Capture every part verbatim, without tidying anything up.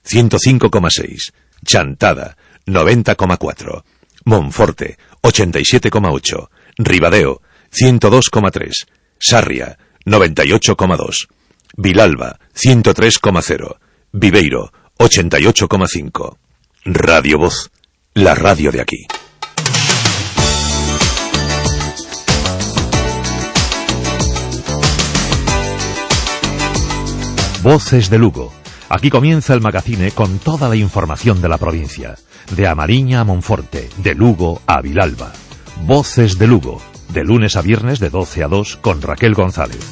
ciento cinco coma seis, Chantada noventa coma cuatro, Monforte ochenta y siete coma ocho, Ribadeo ciento dos coma tres, Sarria noventa y ocho coma dos, Vilalba ciento tres coma cero, Viveiro ochenta y ocho coma cinco. Radio Voz, la radio de aquí. Voces de Lugo. Aquí comienza el magazine con toda la información de la provincia. De Amariña a Monforte, de Lugo a Vilalba. Voces de Lugo. De lunes a viernes de doce a dos con Raquel González.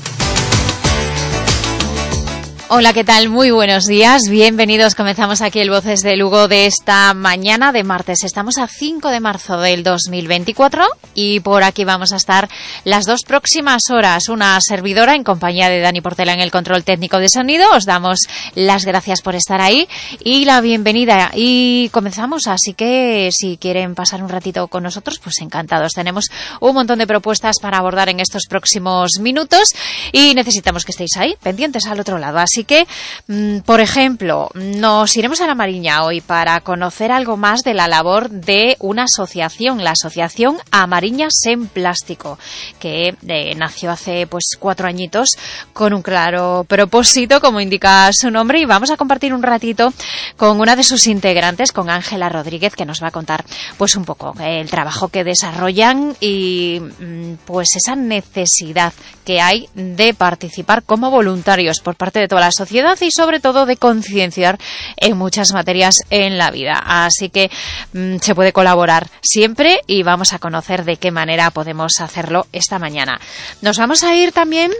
Hola, ¿qué tal? Muy buenos días, bienvenidos. Comenzamos aquí el Voces de Lugo de esta mañana de martes. Estamos a cinco de marzo del dos mil veinticuatro y por aquí vamos a estar las dos próximas horas. Una servidora en compañía de Dani Portela en el control técnico de sonido. Os damos las gracias por estar ahí y la bienvenida. Y comenzamos, así que si quieren pasar un ratito con nosotros, pues encantados. Tenemos un montón de propuestas para abordar en estos próximos minutos y necesitamos que estéis ahí, pendientes al otro lado. Así Así que, por ejemplo, nos iremos a la Mariña hoy para conocer algo más de la labor de una asociación, la Asociación Amariña Sen Plástico, que eh, nació hace pues cuatro añitos con un claro propósito, como indica su nombre, y vamos a compartir un ratito con una de sus integrantes, con Ángela Rodríguez, que nos va a contar pues un poco el trabajo que desarrollan y pues esa necesidad que hay de participar como voluntarios por parte de toda la sociedad y sobre todo de concienciar en muchas materias en la vida. Así que mmm, se puede colaborar siempre y vamos a conocer de qué manera podemos hacerlo esta mañana. Nos vamos a ir también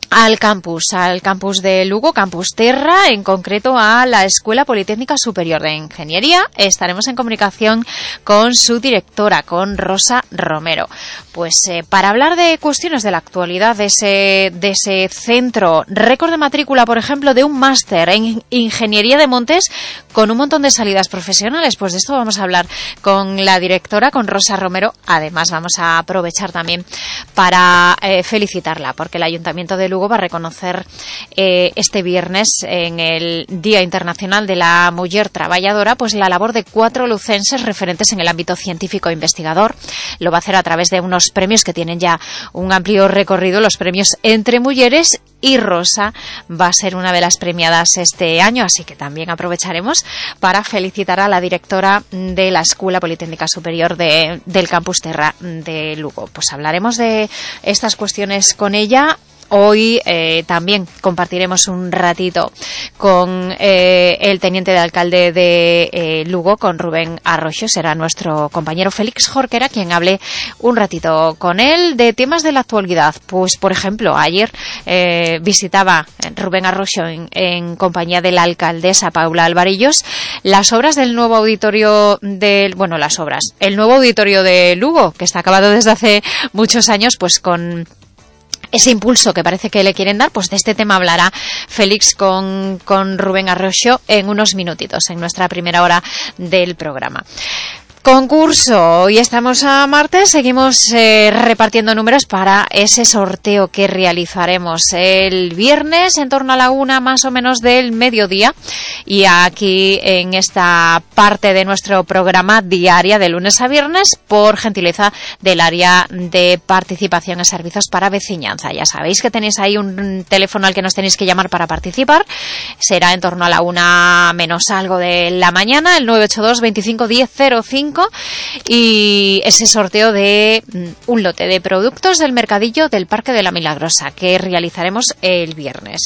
al campus, al campus de Lugo, Campus Terra, en concreto a la Escuela Politécnica Superior de Ingeniería. Estaremos en comunicación con su directora, con Rosa Romero. Pues eh, para hablar de cuestiones de la actualidad de ese, de ese centro, récord de matrícula, por ejemplo, de un máster en Ingeniería de Montes con un montón de salidas profesionales. Pues de esto vamos a hablar con la directora, con Rosa Romero. Además, vamos a aprovechar también para eh, felicitarla, porque el Ayuntamiento de Lugo va a reconocer eh, este viernes, en el Día Internacional de la Mujer Trabajadora, pues la labor de cuatro lucenses referentes en el ámbito científico e investigador. Lo va a hacer a través de unos premios que tienen ya un amplio recorrido, los premios Entre Mujeres, y Rosa va a ser una de las premiadas este año, así que también aprovecharemos para felicitar a la directora de la Escuela Politécnica Superior de, del Campus Terra de Lugo. Pues hablaremos de estas cuestiones con ella. Hoy eh, también compartiremos un ratito con eh, el teniente de alcalde de eh, Lugo, con Rubén Arroyo. Será nuestro compañero Félix Jorquera quien hable un ratito con él de temas de la actualidad. Pues, por ejemplo, ayer eh, visitaba Rubén Arroyo en, en compañía de la alcaldesa Paula Alvarillos las obras del nuevo auditorio del, bueno, las obras, el nuevo auditorio de Lugo, que está acabado desde hace muchos años, pues con ese impulso que parece que le quieren dar. Pues de este tema hablará Félix con, con Rubén Arroyo en unos minutitos, en nuestra primera hora del programa. Concurso. Hoy estamos a martes, seguimos eh, repartiendo números para ese sorteo que realizaremos el viernes en torno a la una más o menos del mediodía, y aquí en esta parte de nuestro programa diaria de lunes a viernes, por gentileza del área de participación en servicios para veciñanza. Ya sabéis que tenéis ahí un teléfono al que nos tenéis que llamar para participar. Será en torno a la una menos algo de la mañana, el nueve ocho dos, veinticinco, diez, cero cinco, y ese sorteo de un lote de productos del mercadillo del Parque de la Milagrosa que realizaremos el viernes.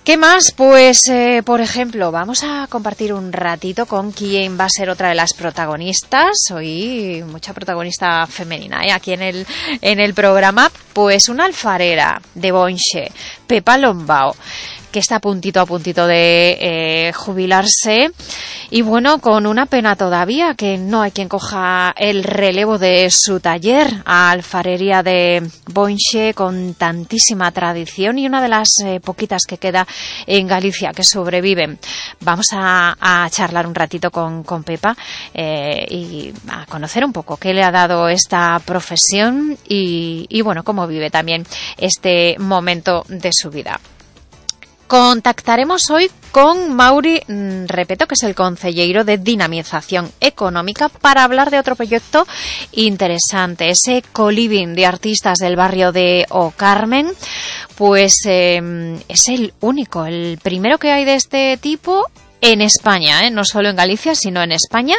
¿Qué más? Pues, eh, por ejemplo, vamos a compartir un ratito con quien va a ser otra de las protagonistas. Hoy mucha protagonista femenina, ¿eh? Aquí en el, en el programa. Pues una alfarera de Bonche, Pepa Lombao, que está a puntito a puntito de eh, jubilarse, y bueno, con una pena todavía, que no hay quien coja el relevo de su taller, alfarería de Bonche, con tantísima tradición y una de las eh, poquitas que queda en Galicia que sobreviven. Vamos a, a charlar un ratito con, con Pepa eh, y a conocer un poco qué le ha dado esta profesión y, y bueno, cómo vive también este momento de su vida. Contactaremos hoy con Mauri Repeto, que es el concelleiro de Dinamización Económica, para hablar de otro proyecto interesante, ese co-living de artistas del barrio de O Carmen. Pues eh, es el único, el primero que hay de este tipo en España, ¿eh? No solo en Galicia, sino en España,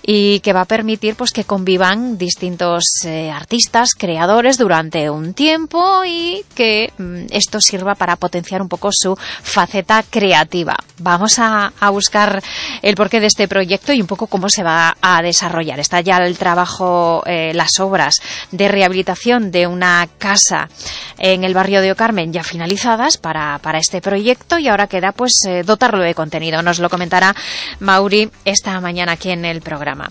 y que va a permitir pues que convivan distintos eh, artistas, creadores durante un tiempo, y que mm, esto sirva para potenciar un poco su faceta creativa. Vamos a, a buscar el porqué de este proyecto y un poco cómo se va a desarrollar. Está ya el trabajo, eh, las obras de rehabilitación de una casa en el barrio de O Carmen ya finalizadas para, para este proyecto, y ahora queda pues eh, dotarlo de contenido. Nos lo comentará Mauri esta mañana aquí en el programa.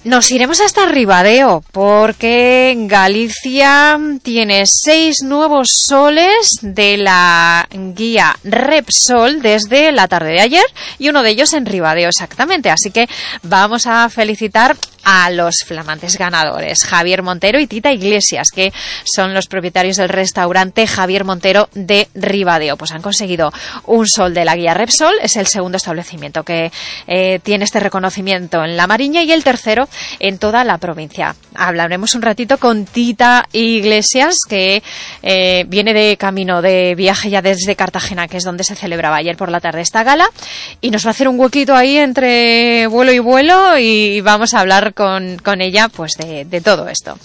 Nos iremos hasta Ribadeo, porque Galicia tiene seis nuevos soles de la guía Repsol desde la tarde de ayer, y uno de ellos en Ribadeo exactamente. Así que vamos a felicitar a los flamantes ganadores, Javier Montero y Tita Iglesias, que son los propietarios del restaurante Javier Montero de Ribadeo. Pues han conseguido un sol de la guía Repsol, es el segundo establecimiento que eh, tiene este reconocimiento en La Mariña, y el tercero en toda la provincia. Hablaremos un ratito con Tita Iglesias, que eh, viene de camino de viaje ya desde Cartagena, que es donde se celebraba ayer por la tarde esta gala, y nos va a hacer un huequito ahí entre vuelo y vuelo, y vamos a hablar con, con ella pues de, de todo esto.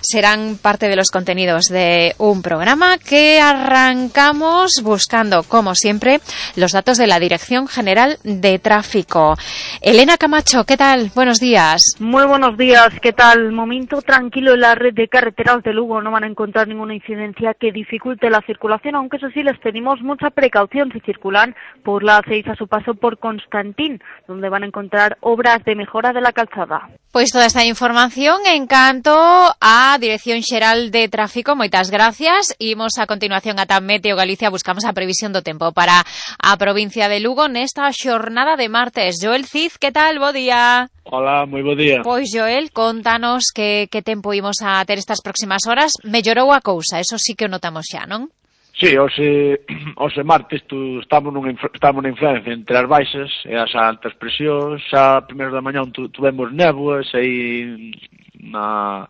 Serán parte de los contenidos de un programa que arrancamos buscando, como siempre, los datos de la Dirección General de Tráfico. Elena Camacho, ¿qué tal? Buenos días. Muy buenos días, ¿qué tal? Momento tranquilo en la red de carreteras de Lugo. No van a encontrar ninguna incidencia que dificulte la circulación, aunque eso sí les pedimos mucha precaución si circulan por la A seis a su paso por Constantín, donde van a encontrar obras de mejora de la calzada. Pois toda esta información en canto a Dirección Xeral de Tráfico. Moitas gracias. Imos a continuación ata Meteo Galicia. Buscamos a previsión do tempo para a provincia de Lugo nesta xornada de martes. Joel Cid, que tal? Bo día. Hola, moi bo día. Pois, Joel, contanos que, que tempo imos a ter estas próximas horas. Mellorou a cousa, eso sí que o notamos xa, non? Sí, hoxe, hoxe martes tu, estamos, nun, estamos na influencia entre as baixas e as altas presións. Xa primeiro da mañá tu, tuvemos néboas aí na,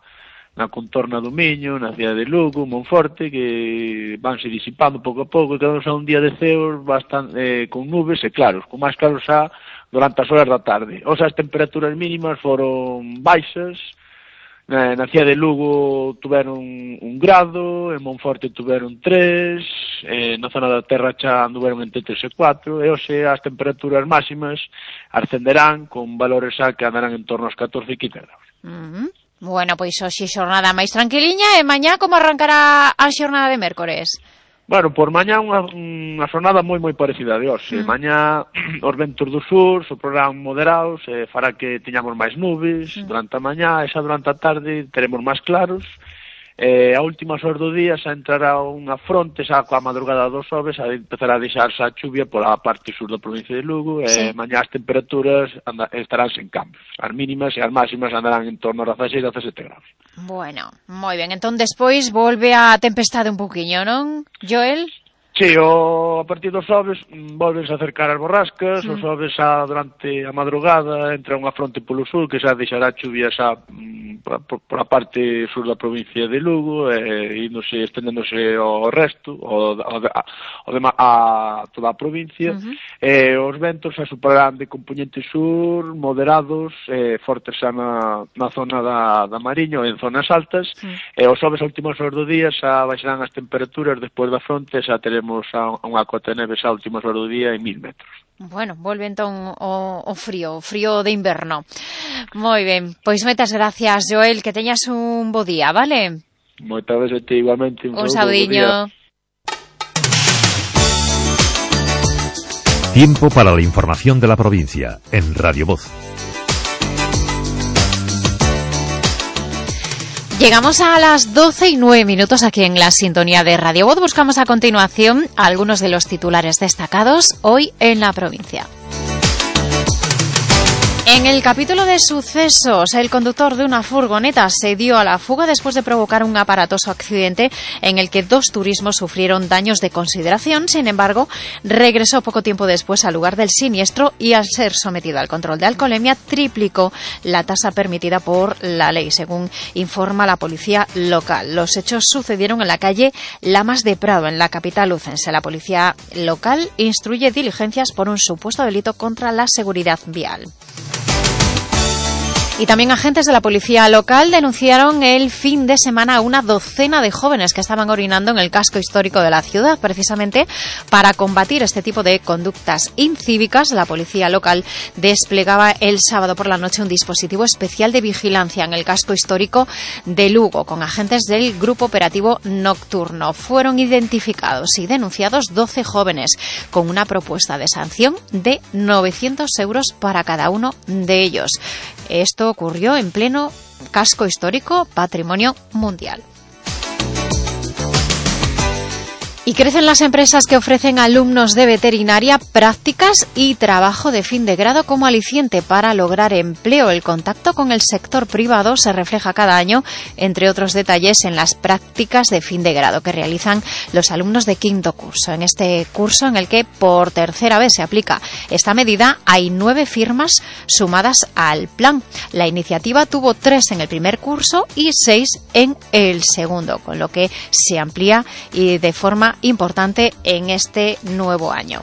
na contorna do Miño, na cidade de Lugo, Monforte, que vanse disipando pouco a pouco, e quedamos a un día de ceos bastante, eh, con nubes e claros, con máis claros xa durante as horas da tarde. O sea, as temperaturas mínimas foron baixas. Na, na cidade de Lugo tuveron un grado, en Monforte tuveron tres, eh, na zona da Terra xa anduveron entre tres e cuatro, e hoxe as temperaturas máximas ascenderán con valores xa que andarán en torno aos catorce e quince graus. Uh-huh. Bueno, pois hoxe xornada máis tranquiliña, e mañá como arrancará a xornada de mércores? Bueno, por mañá unha, unha xornada moi moi parecida de hoxe. Mm. Mañá os ventos do sur soprarán moderados, e fará que teñamos máis nubes mm. durante a mañá, e xa durante a tarde teremos máis claros. E a últimas horas do día xa entrará unha fronte, xa coa madrugada dos xoves, a empezará a deixarse a chuvia pola parte sur da provincia de Lugo, sí. E mañá as temperaturas anda, estarán sen cambios. As mínimas e as máximas andarán en torno a dezasseis a dezasete graus. Bueno, moi ben. Entón, despois volve a tempestade un poquinho, non, Joel? Sí, o, a partir dos xoves volvense a acercar as borrascas, mm. os xoves xa durante a madrugada entra unha fronte polo sur que xa deixará chuvia xa mm, por, por a parte sur da provincia de Lugo, e índose, estendéndose ao resto, o, o, de, o de, a toda a provincia, mm-hmm. E os ventos xa superarán de componente sur, moderados, e fortes xa na, na zona da, da Mariña, en zonas altas, mm. E os xoves a últimas horas do día xa baixarán as temperaturas despois da fronte, xa teremos a unha cota de neve xa últimas horas do día en mil metros. Bueno, volve entón o, o frío, o frío de inverno. Moi ben, pois moitas gracias, Joel, que teñas un bo día, vale? Moitas veces te igualmente. Un, un saudiño. Tiempo para la información de la provincia en Radio Voz. Llegamos a las doce y nueve minutos aquí en la sintonía de Radio Voz. Buscamos a continuación algunos de los titulares destacados hoy en la provincia. En el capítulo de sucesos, el conductor de una furgoneta se dio a la fuga después de provocar un aparatoso accidente en el que dos turismos sufrieron daños de consideración. Sin embargo, regresó poco tiempo después al lugar del siniestro y, al ser sometido al control de alcoholemia, triplicó la tasa permitida por la ley, según informa la policía local. Los hechos sucedieron en la calle Lamas de Prado, en la capital lucense. La policía local instruye diligencias por un supuesto delito contra la seguridad vial. Y también agentes de la policía local denunciaron el fin de semana a una docena de jóvenes que estaban orinando en el casco histórico de la ciudad. Precisamente para combatir este tipo de conductas incívicas, la policía local desplegaba el sábado por la noche un dispositivo especial de vigilancia en el casco histórico de Lugo con agentes del Grupo Operativo Nocturno. Fueron identificados y denunciados doce jóvenes con una propuesta de sanción de novecientos euros para cada uno de ellos. Esto ocurrió en pleno casco histórico, patrimonio mundial. Y crecen las empresas que ofrecen a alumnos de veterinaria prácticas y trabajo de fin de grado como aliciente para lograr empleo. El contacto con el sector privado se refleja cada año, entre otros detalles, en las prácticas de fin de grado que realizan los alumnos de quinto curso. En este curso, en el que por tercera vez se aplica esta medida, hay nueve firmas sumadas al plan. La iniciativa tuvo tres en el primer curso y seis en el segundo, con lo que se amplía y de forma importante en este nuevo año.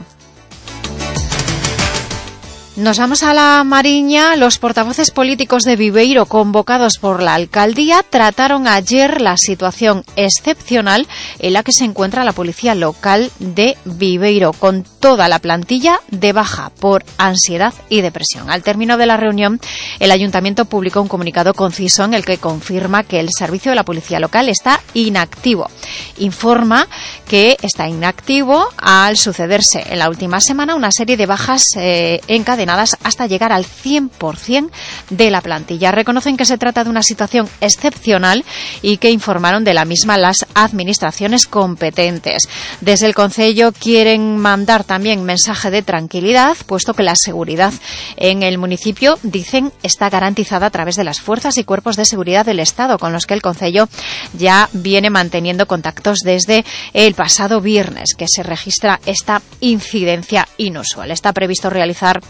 Nos vamos a la Mariña. Los portavoces políticos de Viveiro, convocados por la alcaldía, trataron ayer la situación excepcional en la que se encuentra la policía local de Viveiro, con toda la plantilla de baja por ansiedad y depresión. Al término de la reunión, el ayuntamiento publicó un comunicado conciso en el que confirma que el servicio de la policía local está inactivo. Informa que está inactivo al sucederse en la última semana una serie de bajas eh, encadenadas hasta llegar al cien por ciento de la plantilla. Reconocen que se trata de una situación excepcional y que informaron de la misma las administraciones competentes. Desde el concello quieren mandar también mensaje de tranquilidad, puesto que la seguridad en el municipio, dicen, está garantizada a través de las fuerzas y cuerpos de seguridad del Estado, con los que el concello ya viene manteniendo contactos desde el pasado viernes, que se registra esta incidencia inusual. Está previsto realizar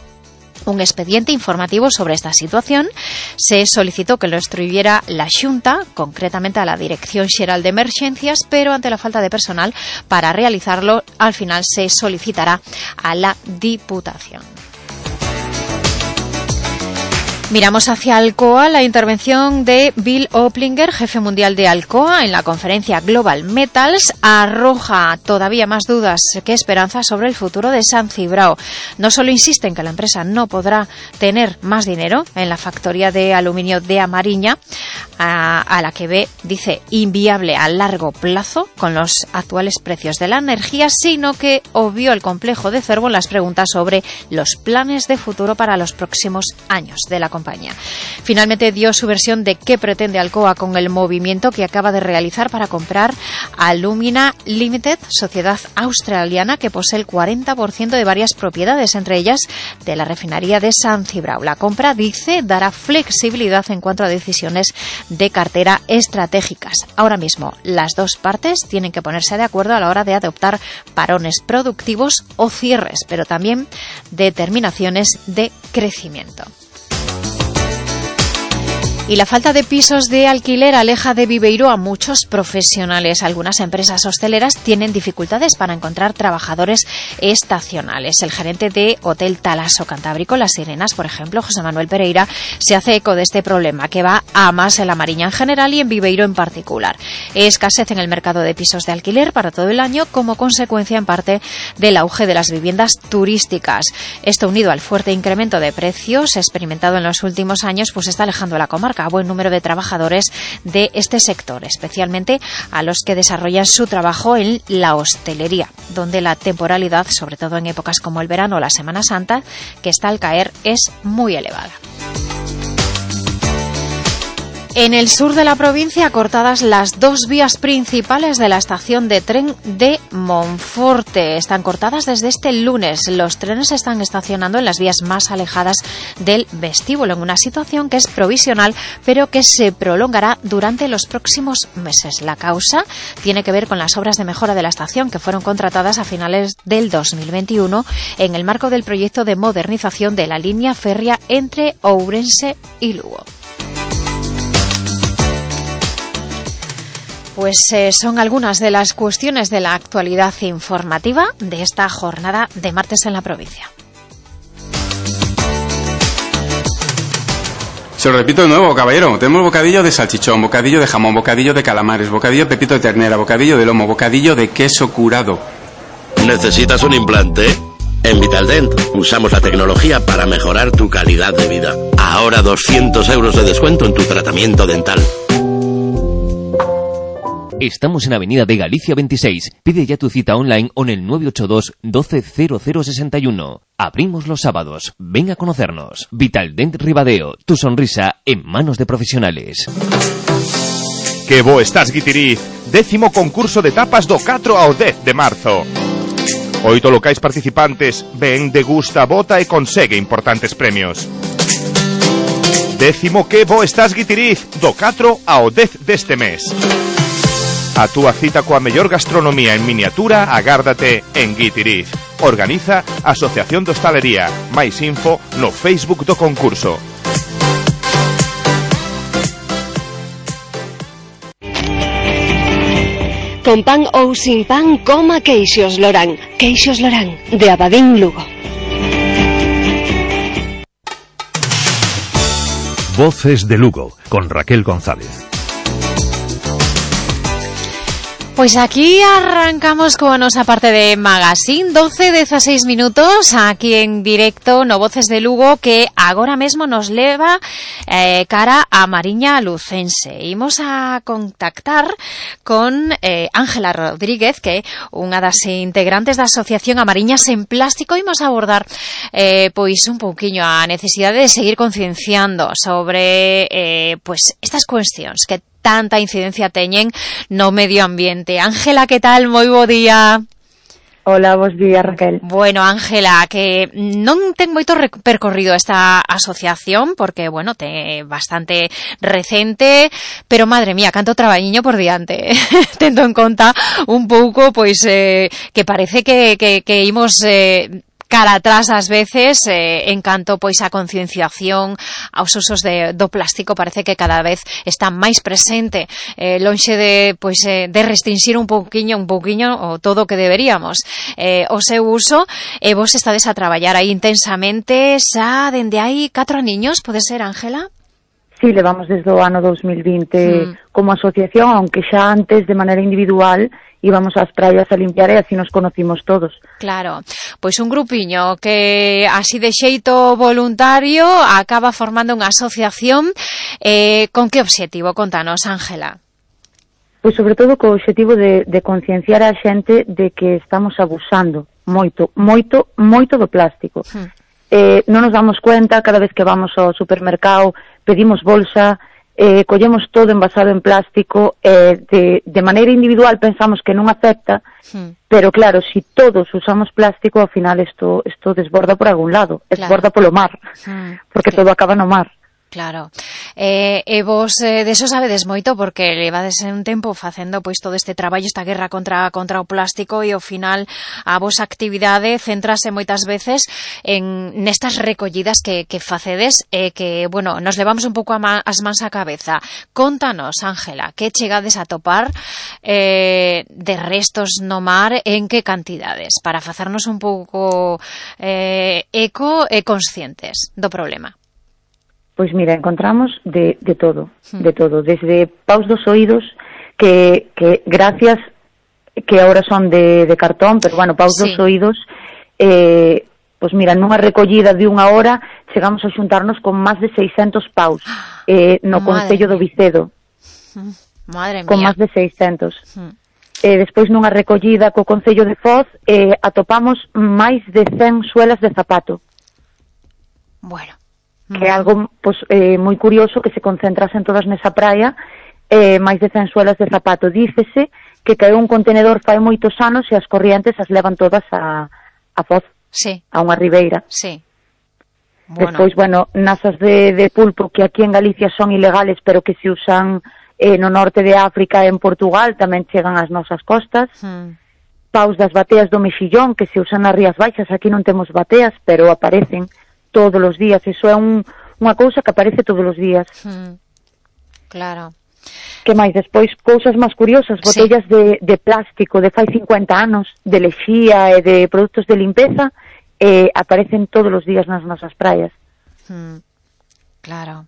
un expediente informativo sobre esta situación. Se solicitó que lo instruyera la Xunta, concretamente a la Dirección Xeral de Emergencias, pero ante la falta de personal para realizarlo, al final se solicitará a la Diputación. Miramos hacia Alcoa. La intervención de Bill Oplinger, jefe mundial de Alcoa, en la conferencia Global Metals, arroja todavía más dudas que esperanzas sobre el futuro de San Cibrao. No solo insiste en que la empresa no podrá tener más dinero en la factoría de aluminio de Amariña, a, a la que ve, dice, inviable a largo plazo con los actuales precios de la energía, sino que obvió el complejo de Cervo en las preguntas sobre los planes de futuro para los próximos años de la compañía. Finalmente dio su versión de qué pretende Alcoa con el movimiento que acaba de realizar para comprar Alumina Limited, sociedad australiana que posee el cuarenta por ciento de varias propiedades, entre ellas de la refinería de San Cibrao. La compra, dice, dará flexibilidad en cuanto a decisiones de cartera estratégicas. Ahora mismo, las dos partes tienen que ponerse de acuerdo a la hora de adoptar parones productivos o cierres, pero también determinaciones de crecimiento. Y la falta de pisos de alquiler aleja de Viveiro a muchos profesionales. Algunas empresas hosteleras tienen dificultades para encontrar trabajadores estacionales. El gerente de Hotel Talaso Cantábrico, Las Sirenas, por ejemplo, José Manuel Pereira, se hace eco de este problema que va a más en la Mariña en general y en Viveiro en particular. Escasez en el mercado de pisos de alquiler para todo el año como consecuencia en parte del auge de las viviendas turísticas. Esto, unido al fuerte incremento de precios experimentado en los últimos años, pues está alejando a la comarca a buen número de trabajadores de este sector, especialmente a los que desarrollan su trabajo en la hostelería, donde la temporalidad, sobre todo en épocas como el verano o la Semana Santa, que está al caer, es muy elevada. En el sur de la provincia, cortadas las dos vías principales de la estación de tren de Monforte. Están cortadas desde este lunes. Los trenes están estacionando en las vías más alejadas del vestíbulo, en una situación que es provisional, pero que se prolongará durante los próximos meses. La causa tiene que ver con las obras de mejora de la estación que fueron contratadas a finales del dos mil veintiuno en el marco del proyecto de modernización de la línea férrea entre Ourense y Lugo. Pues eh, son algunas de las cuestiones de la actualidad informativa de esta jornada de martes en la provincia. Se lo repito de nuevo, caballero. Tenemos bocadillo de salchichón, bocadillo de jamón, bocadillo de calamares, bocadillo de pepito de ternera, bocadillo de lomo, bocadillo de queso curado. ¿Necesitas un implante? En Vitaldent usamos la tecnología para mejorar tu calidad de vida. Ahora doscientos euros de descuento en tu tratamiento dental. Estamos en Avenida de Galicia veintiséis. Pide ya tu cita online o en el nueve ocho dos, doce cero cero sesenta y uno. Abrimos los sábados. Ven a conocernos. Vitaldent Ribadeo. Tu sonrisa en manos de profesionales. Que bo estás, Guitiriz. Décimo concurso de tapas do catro ao dez de marzo. Oito locais participantes. Ven, degusta, vota e consegue importantes premios. Décimo que bo estás, Guitiriz. Do catro ao dez deste mes. A túa cita coa mellor gastronomía en miniatura agárdate en Guitiriz. Organiza Asociación de Hostalería. Máis info no Facebook do concurso. Con pan ou sin pan, coma Queixos Lorán. Queixos Lorán, de Abadín, Lugo. Voces de Lugo, con Raquel González. Pues aquí arrancamos con nuestra parte de Magazine, doce dieciséis minutos, aquí en directo no Voces de Lugo, que agora mesmo nos leva eh, cara a Mariña Lucense. Imos a contactar con eh, Ángela Rodríguez, que é unha das integrantes da Asociación Amariñas en Plástico. Imos a abordar eh, pois un pouquiño a necesidade de seguir concienciando sobre eh, pues estas cuestións que tanta incidencia teñen no medio ambiente. Ángela, que tal? Moi bo día. Hola, bos días, Raquel. Bueno, Ángela, que non ten moito percorrido esta asociación, porque, bueno, te bastante recente, pero, madre mía, canto traballiño por diante. Tendo en conta un pouco, pois, eh, que parece que, que, que imos... Eh, cara atrás ás veces, eh, en canto pois a concienciación aos usos de, do plástico parece que cada vez está máis presente, eh, lonxe de pois eh, de restringir un pouquiño, un pouquiño o todo o que deberíamos eh, o seu uso, e vos estades a traballar aí intensamente xa dende hai catro aniños, pode ser, Ángela? Sí, levamos desde o ano dos mil vinte mm. como asociación, aunque xa antes de maneira individual íbamos ás praias a limpiar e así nos conocimos todos. Claro, pois un grupiño que así de xeito voluntario acaba formando unha asociación, eh, con que obxectivo? Contanos, Ángela. Pois sobre todo co obxectivo de, de concienciar a xente de que estamos abusando moito, moito, moito do plástico. Hmm. Eh, non nos damos cuenta, cada vez que vamos ao supermercado pedimos bolsa, Eh, collemos todo envasado en plástico, eh, de, de maneira individual pensamos que non afecta, sí. Pero claro, si todos usamos plástico, ao final isto, isto desborda por algún lado, claro. Desborda polo mar, sí. Porque sí. Todo acaba no mar. Claro. Eh, e vos eh, deso sabedes moito porque levades un tempo facendo pois todo este traballo, esta guerra contra contra o plástico, e ao final a vosa actividade centrase moitas veces en nestas recollidas que, que facedes e eh, que, bueno, nos levamos un pouco a ma, as mans á cabeza. Contanos, Ángela, que chegades a topar eh, de restos no mar, en que cantidades, para facernos un pouco eh, eco e conscientes do problema. Pois mira, encontramos de, de todo, de todo, desde paus dos oídos, que, que gracias, que ahora son de, de cartón, pero bueno, paus sí. dos oídos, eh, pois mira, nunha recollida de unha hora, chegamos a xuntarnos con máis de seiscentos paus, eh, no Concello do Vicedo. Madre mía. Con máis de seiscentos. Mm. Eh, despois nunha recollida co Concello de Foz, eh, atopamos máis de cen suelas de zapato. Bueno. que é algo pois, eh, moi curioso que se concentrasen todas nesa praia, eh, máis de cen suelas de zapato. Dícese que caeu un contenedor fai moitos anos e as corrientes as levan todas a, a Foz, sí. a unha ribeira. Sí. Bueno. Despois, bueno, nasas de, de pulpo que aquí en Galicia son ilegales, pero que se usan eh, no norte de África e en Portugal, tamén chegan ás nosas costas. Hmm. Paus das bateas do mexillón, que se usan nas Rías Baixas, aquí non temos bateas, pero aparecen todos os días. Iso é un, unha cousa que aparece todos os días. Hmm. Claro. Que máis? Despois, cousas máis curiosas, botellas sí. de, de plástico de fai cincuenta anos, de lexía e de produtos de limpeza, eh, aparecen todos os días nas nosas praias. Hmm. Claro.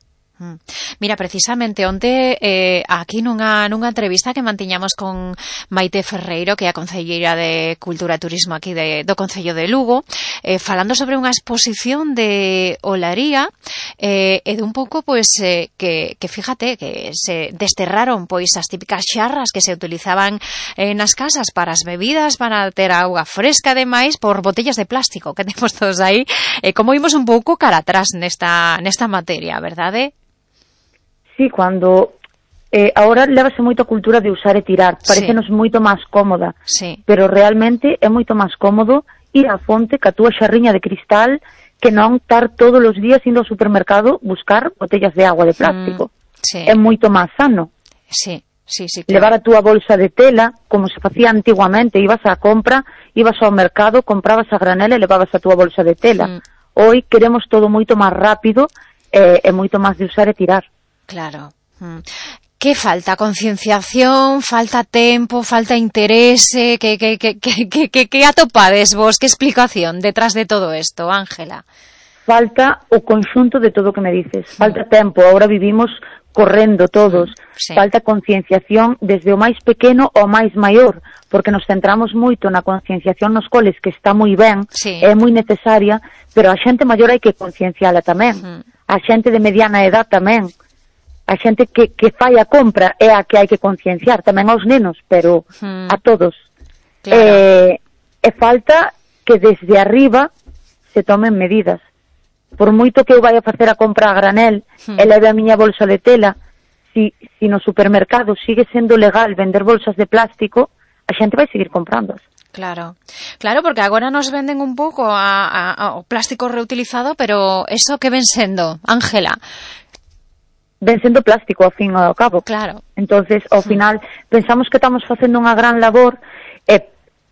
Mira, precisamente onte eh, aquí nunha, nunha entrevista que mantiñamos con Maite Ferreiro, que é a concelleira de Cultura e Turismo aquí de, do Concello de Lugo, eh, falando sobre unha exposición de olaría eh, e de un pouco, pois, eh, que, que fíjate, que se desterraron pois as típicas xarras que se utilizaban eh, nas casas para as bebidas, para ter auga fresca, ademais, por botellas de plástico que temos todos aí, eh, como vimos un pouco cara atrás nesta, nesta materia, verdade? Sí, cuando eh, ahora levase moito a cultura de usar e tirar, parecenos sí. moito máis cómoda, sí. pero realmente é moito máis cómodo ir á fonte ca túa xarriña de cristal que non estar todos os días indo ao supermercado buscar botellas de agua de plástico. Mm, sí. É moito máis sano. Sí, sí, sí. Claro. Levar a túa bolsa de tela, como se facía antiguamente, ibas á compra, ibas ao mercado, comprabas a granel e levabas a túa bolsa de tela. Mm. Hoy queremos todo moito máis rápido e, e moito máis de usar e tirar. Claro. Que falta? Concienciación, falta tempo, falta interese, que, que, que, que, que, que atopades vos, que explicación detrás de todo esto, Ángela? Falta o conxunto de todo o que me dices, falta tempo, ahora vivimos correndo todos, sí. falta concienciación desde o máis pequeno ao máis maior, porque nos centramos moito na concienciación nos coles, que está moi ben, sí. é moi necesaria, pero a xente maior hai que concienciala tamén, uh-huh. a xente de mediana edad tamén, a xente que, que fai a compra é a que hai que concienciar, tamén aos nenos, pero hmm. a todos. Claro. Eh, e falta que desde arriba se tomen medidas. Por moito que eu vai a facer a compra a granel hmm. e leve a miña bolsa de tela, si, si no supermercado sigue sendo legal vender bolsas de plástico, a xente vai seguir comprándoas. Claro, claro, porque agora nos venden un pouco a, a, a, o plástico reutilizado, pero eso que ven sendo, Ángela? Ven sendo plástico, ao fin e ao cabo. Claro. Entonces, ao final, pensamos que estamos facendo unha gran labor e,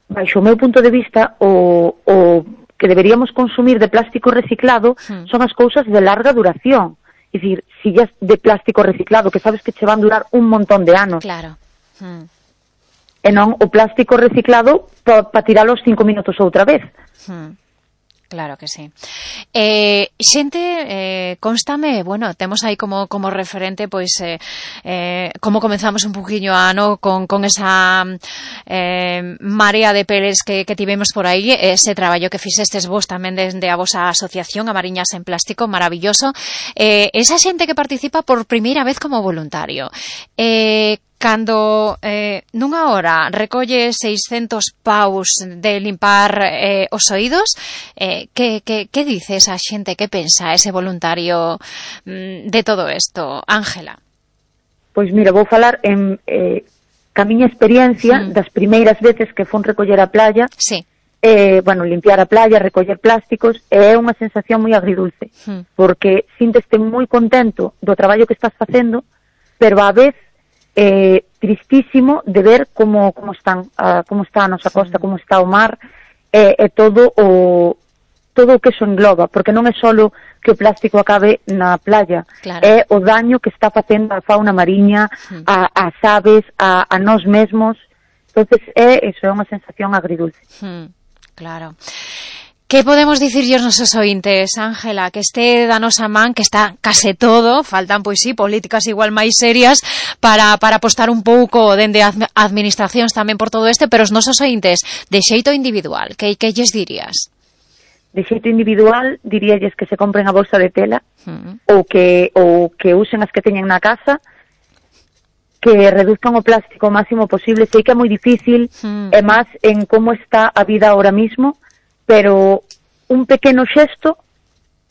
baixo o meu punto de vista, o, o que deberíamos consumir de plástico reciclado hmm. son as cousas de larga duración. É dicir, sillas de plástico reciclado, que sabes que che van durar un montón de anos. Claro. Hmm. E non o plástico reciclado para pa tiralo os cinco minutos outra vez. Hmm. Claro que sí. Eh, xente, eh, constame, bueno, temos aí como como referente, pois, eh, eh, como comenzamos un poquinho a ano con, con esa eh, marea de peles que, que tivemos por aí, ese traballo que fixestes vos tamén desde a vosa asociación, a Mariñas en Plástico, maravilloso. Eh, esa xente que participa por primeira vez como voluntario, eh, cando eh, nunha hora recolle seiscentos paus de limpar eh, os oídos, eh, que, que, que dice esa xente, que pensa ese voluntario mm, de todo isto, Ángela? Pois mira, vou falar en eh, ca miña experiencia mm. das primeiras veces que fon recoller a playa, sí. eh, bueno, limpiar a playa, recoller plásticos, é unha sensación moi agridulce, mm. porque sínteste moi contento do traballo que estás facendo, pero a vez eh, tristísimo de ver como como están uh, como está a nosa costa, como está o mar e, e todo o todo o que eso engloba, porque non é solo que o plástico acabe na playa, claro. é o daño que está facendo a fauna mariña, mm. a, as aves, a, a nós mesmos. Entonces é eso, é unha sensación agridulce. Mm, claro. Que podemos dicirlle aos nosos ointes, Ángela, que este da nosa man, que está case todo, faltan, pois sí, políticas igual máis serias para, para apostar un pouco dende administracións tamén por todo este, pero os nosos ointes, de xeito individual, que, que lles dirías? De xeito individual, diríalles que se compren a bolsa de tela, mm. ou que ou que usen as que teñen na casa, que reduzcan o plástico o máximo posible. Sei que é moi difícil, mm. e máis en como está a vida ahora mismo, pero un pequeno xesto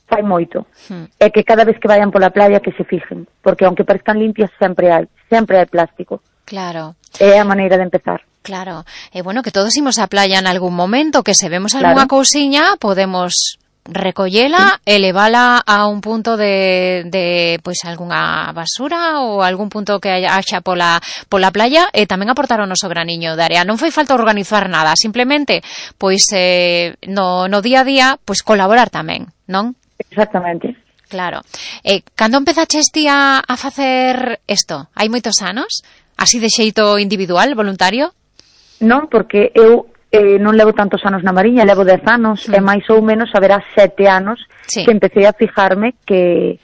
fai hai moito. Hmm. E que cada vez que vayan pola playa que se fijen, porque aunque parezcan limpias sempre hai, sempre hai plástico. Claro. É a maneira de empezar. Claro. E eh, bueno, que todos imos a playa en algún momento, que se vemos algunha claro. cousiña, podemos recollela sí. e levala a un punto de, de pois algunha basura ou algún punto que haxa pola, pola playa e tamén aportar o noso graniño de area. Non foi falta organizar nada, simplemente pois eh, no, no día a día pois colaborar tamén, non? Exactamente. Claro. Eh, cando empezaches ti a, a facer isto? Hai moitos anos? Así de xeito individual, voluntario? Non, porque eu eh, non levo tantos anos na Mariña, levo dez anos, mm. e máis ou menos haberá sete anos sí. que empecé a fijarme que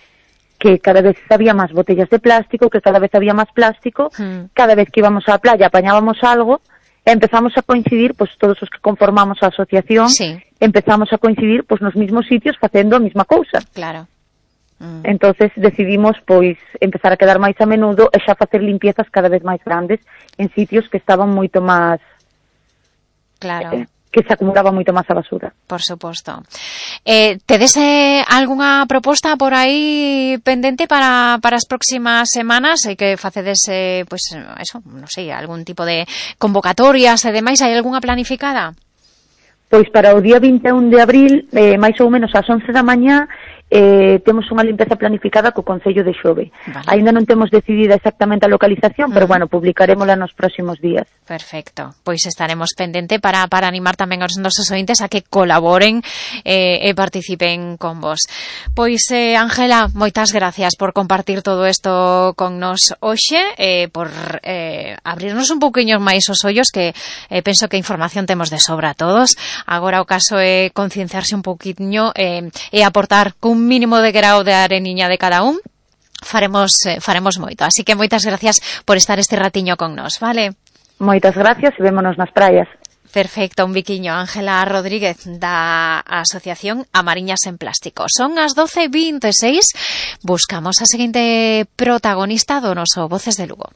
que cada vez había máis botellas de plástico, que cada vez había máis plástico, mm. cada vez que íbamos á playa apañábamos algo, e empezamos a coincidir, pois todos os que conformamos a asociación, sí. empezamos a coincidir pois nos mismos sitios facendo a mesma cousa. Claro. Mm. Entonces decidimos pois empezar a quedar máis a menudo e xa facer limpiezas cada vez máis grandes en sitios que estaban moito máis claro eh, que se acumulaba moito máis a basura. Por suposto. Eh, tedes eh, algunha proposta por aí pendente para, para as próximas semanas? Hai que facedes eh, pois eso, non sei, algún tipo de convocatorias e demais, hai algunha planificada? Pois para o día vinte e un de abril, eh, máis ou menos ás once da mañá, eh, temos unha limpeza planificada co Concello de Xove. Vale. Ainda non temos decidida exactamente a localización, uh-huh. pero bueno, publicarémola nos próximos días. Perfecto. Pois estaremos pendente para, para animar tamén aos nosos ointes a que colaboren eh, e participen con vos. Pois, eh, Ángela, moitas gracias por compartir todo isto con nos hoxe, eh, por eh, abrirnos un pouquiño máis os ollos, que eh, penso que información temos de sobra a todos. Agora o caso é concienciarse un pouquiño eh, e aportar con un mínimo de grau de areniña de cada un, faremos eh, faremos moito. Así que moitas gracias por estar este ratiño con nos, vale? Moitas gracias e vémonos nas praias. Perfecto, un biquiño. Ángela Rodríguez da Asociación Amariñas en Plástico. Son as doce e vinte e seis, buscamos a seguinte protagonista do noso Voces de Lugo.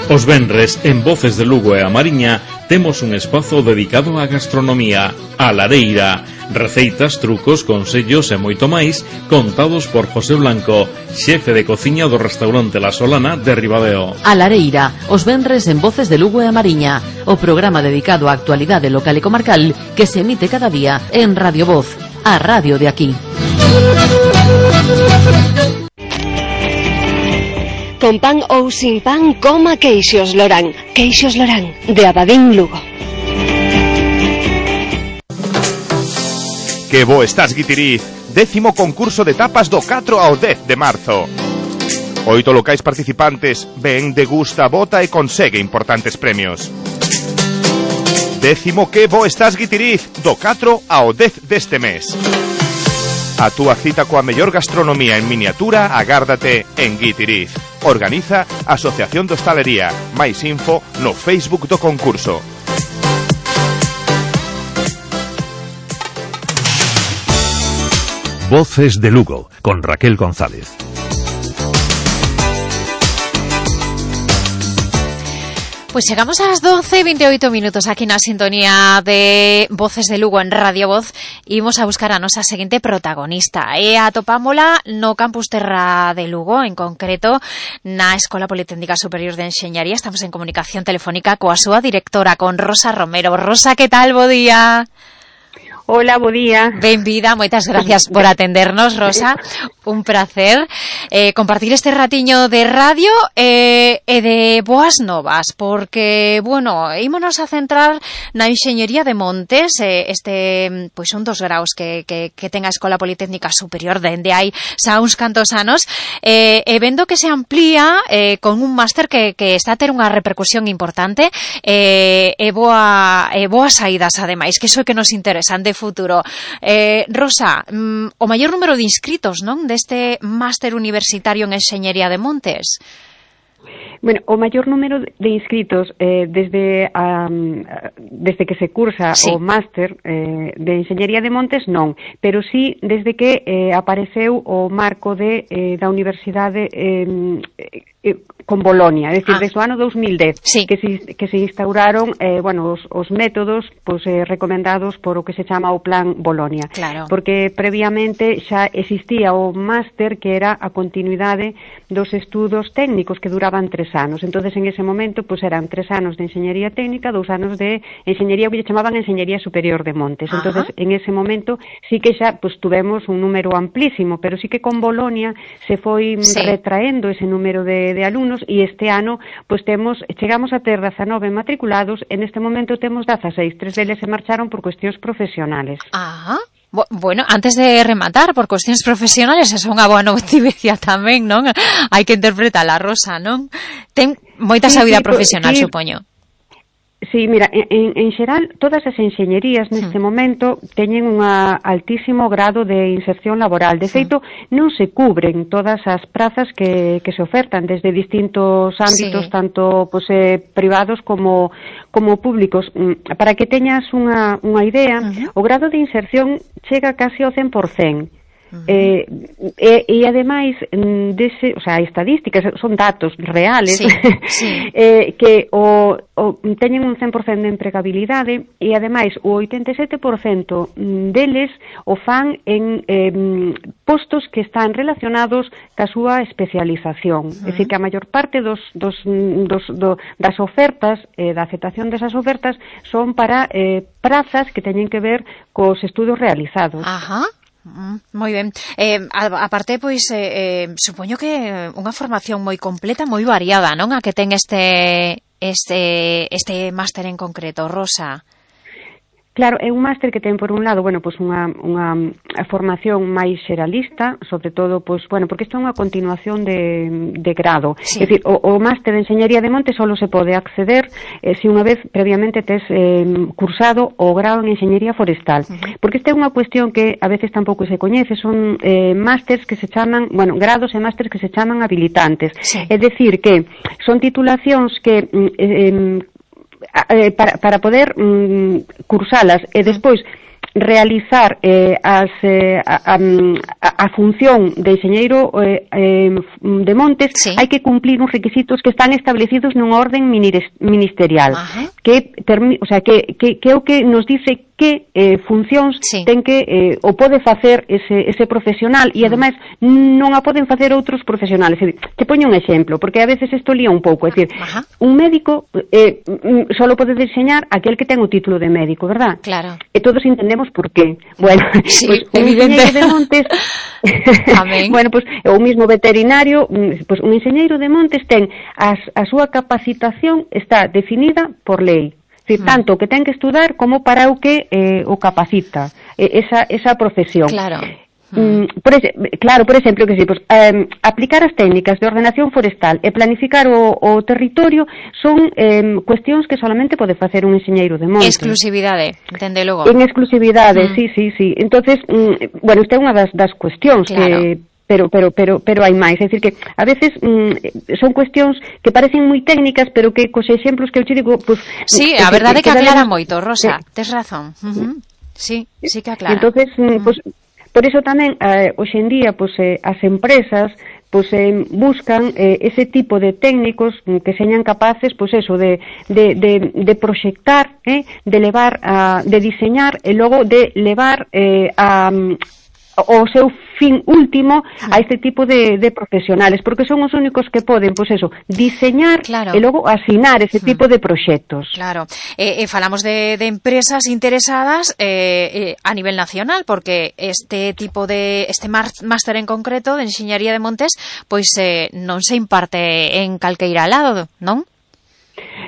Os venres en Voces de Lugo e a Mariña temos un espazo dedicado á gastronomía, a lareira, receitas, trucos, consellos e moito máis contados por José Blanco, xefe de cociña do restaurante La Solana de Ribadeo. A lareira, os venres en Voces de Lugo e a Mariña, o programa dedicado á actualidade local e comarcal que se emite cada día en Radio Voz, a radio de aquí. Con pan ou sin pan, coma Queixos Lorán. Queixos Lorán, de Abadín, Lugo. Que bo estás, Guitiriz. Décimo concurso de tapas do catro ao dez de marzo. Oito locais participantes, ven, degusta, vota e consegue importantes premios. Décimo que bo estás, Guitiriz, do catro ao dez deste mes. A túa cita coa mellor gastronomía en miniatura agárdate en Guitiriz. Organiza Asociación de Hostalería. Máis info no Facebook do concurso. Voces de Lugo, con Raquel González. Pues llegamos ás doce e veintioito minutos aquí na sintonía de Voces de Lugo en Radio Voz e imos a buscar a nosa seguinte protagonista. E atopámola no Campus Terra de Lugo, en concreto na Escola Politécnica Superior de Enxeñaría. Estamos en comunicación telefónica coa súa directora, con Rosa Romero. Rosa, que tal? Bo día. Hola, bo día. Benvida, moitas gracias por atendernos, Rosa. Un placer eh, compartir este ratiño de radio eh, e de boas novas, porque, bueno, ímonos a centrar na Enxeñería de Montes, eh, este, pois un dos graus que, que, que ten a Escola Politécnica Superior dende hai xa uns cantos anos, eh, e vendo que se amplía eh, con un máster que, que está a ter unha repercusión importante eh, e boa, e boas saídas, ademais, que iso é que nos interesa de futuro. Eh, Rosa, mm, o maior número de inscritos, non, deste máster universitario en Enxeñería de Montes? Bueno, o maior número de inscritos eh, desde um, desde que se cursa sí. o máster eh, de Enxeñería de Montes non, pero sí desde que eh, apareceu o marco de eh, da Universidade eh, eh, con Bolonia, é dicir, ah. desde o ano dos mil dez sí. que, se, que se instauraron eh, bueno, os, os métodos pues, eh, recomendados por o que se chama o Plan Bolonia, claro. porque previamente xa existía o máster que era a continuidade dos estudos técnicos que duraban tres anos. Entonces en ese momento pues eran tres anos de enxeñería técnica, dous anos de enxeñería que lle chamaban enxeñería superior de Montes. Ajá. Entonces en ese momento sí que xa pues tuvemos un número amplísimo, pero sí que con Bolonia se foi sí. retraendo ese número de, de alumnos e este ano pues temos chegamos a ter dezanove matriculados, en este momento temos dezaseis, tres deles se marcharon por cuestións profesionales. Ajá. Bueno, antes de rematar, por cuestións profesionales, eso é unha boa noticia tamén, non? Hai que interpretar a Rosa, non? Ten moita sí, sabida sí, profesional, sí. supoño. Sí, mira, en, en xeral, todas as enxeñerías neste hmm. momento teñen un altísimo grado de inserción laboral. De feito, hmm. non se cubren todas as prazas que, que se ofertan desde distintos ámbitos, sí. tanto pues, eh, privados como, como públicos. Para que teñas unha, unha idea, uh-huh. o grado de inserción chega casi ao cen por cento. Uh-huh. Eh, e, e ademais dese, o sea, estadísticas son datos reales sí, sí. eh, que o, o teñen un cen por cento de empregabilidade e ademais o oitenta e sete por cento deles o fan en eh, postos que están relacionados ca súa especialización. Uh-huh. É dicir, que a maior parte dos, dos, dos, do, das ofertas, eh, da aceptación desas ofertas son para eh, prazas que teñen que ver cos estudos realizados. Ajá. Mm, moi ben. Eh, aparte, pois, eh, eh, supoño que unha formación moi completa, moi variada, non? A que ten este este este máster en concreto, Rosa. Claro, é un máster que ten por un lado, bueno, pois unha unha formación máis xeralista, sobre todo, pois, bueno, porque isto é unha continuación de, de grado. Sí. É dicir, o, o máster de Enxeñería de Montes só se pode acceder eh, se unha vez previamente tes eh, cursado o grado en Enxeñería Forestal. Uh-huh. Porque esta é unha cuestión que a veces tampouco se coñece, son eh, másters que se chaman, bueno, grados e másters que se chaman habilitantes. Sí. É dicir, que son titulacións que eh, eh, para, para poder mm, cursalas e despois realizar eh, as, eh, a, a, a función de enxeñeiro eh, eh, de Montes, sí. hai que cumplir uns requisitos que están establecidos nun orden ministerial. Ajá. que, termi, o sea, que, que, que é o que nos dice que eh, funcións sí. ten que eh, o pode facer ese, ese profesional e ademais non a poden facer outros profesionales. É dicir, te poño un exemplo, porque a veces isto lía un pouco, é dicir, Ajá. un médico eh, solo pode diseñar aquel que ten o título de médico, verdad? Claro. E todos entendemos por qué. Bueno, sí, pues, un evidente. De Montes, bueno, pues o mismo veterinario, pues un enxeñeiro de Montes ten as, a súa capacitación está definida por lei. Es decir, tanto que ten que estudar como para o que eh, o capacita eh, esa, esa profesión. Claro. Mm, por ese, claro, por exemplo, que si, pues, eh, aplicar as técnicas de ordenación forestal e planificar o, o territorio son eh, cuestións que solamente pode facer un enxeñeiro de monte. Exclusividade, entende logo. En exclusividade, mm. sí, sí, sí. Entonces, mm, bueno, esta é unha das, das cuestións claro. que pero pero pero pero hai máis, é dicir que a veces mm, son cuestións que parecen moi técnicas, pero que cos exemplos que eu che digo, pues sí, a verdade é que, que aclara moito, Rosa, eh, tes razón. Uh-huh. Sí, sí que aclara. Entonces, mm, pues por eso tamén eh, hoxe en día pues eh, as empresas pues eh, buscan eh, ese tipo de técnicos que señan capaces pues eso de de de de proxectar, eh, de levar a de diseñar e logo de levar eh, a o seu fin último a este tipo de, de profesionales, porque son os únicos que poden, pois pues eso, diseñar claro. e logo asinar ese tipo de proxectos. Claro, eh, eh, falamos de, de empresas interesadas eh, eh, a nivel nacional, porque este tipo de, este máster en concreto de Enxeñería de Montes, pois eh, non se imparte en calqueira lado, non?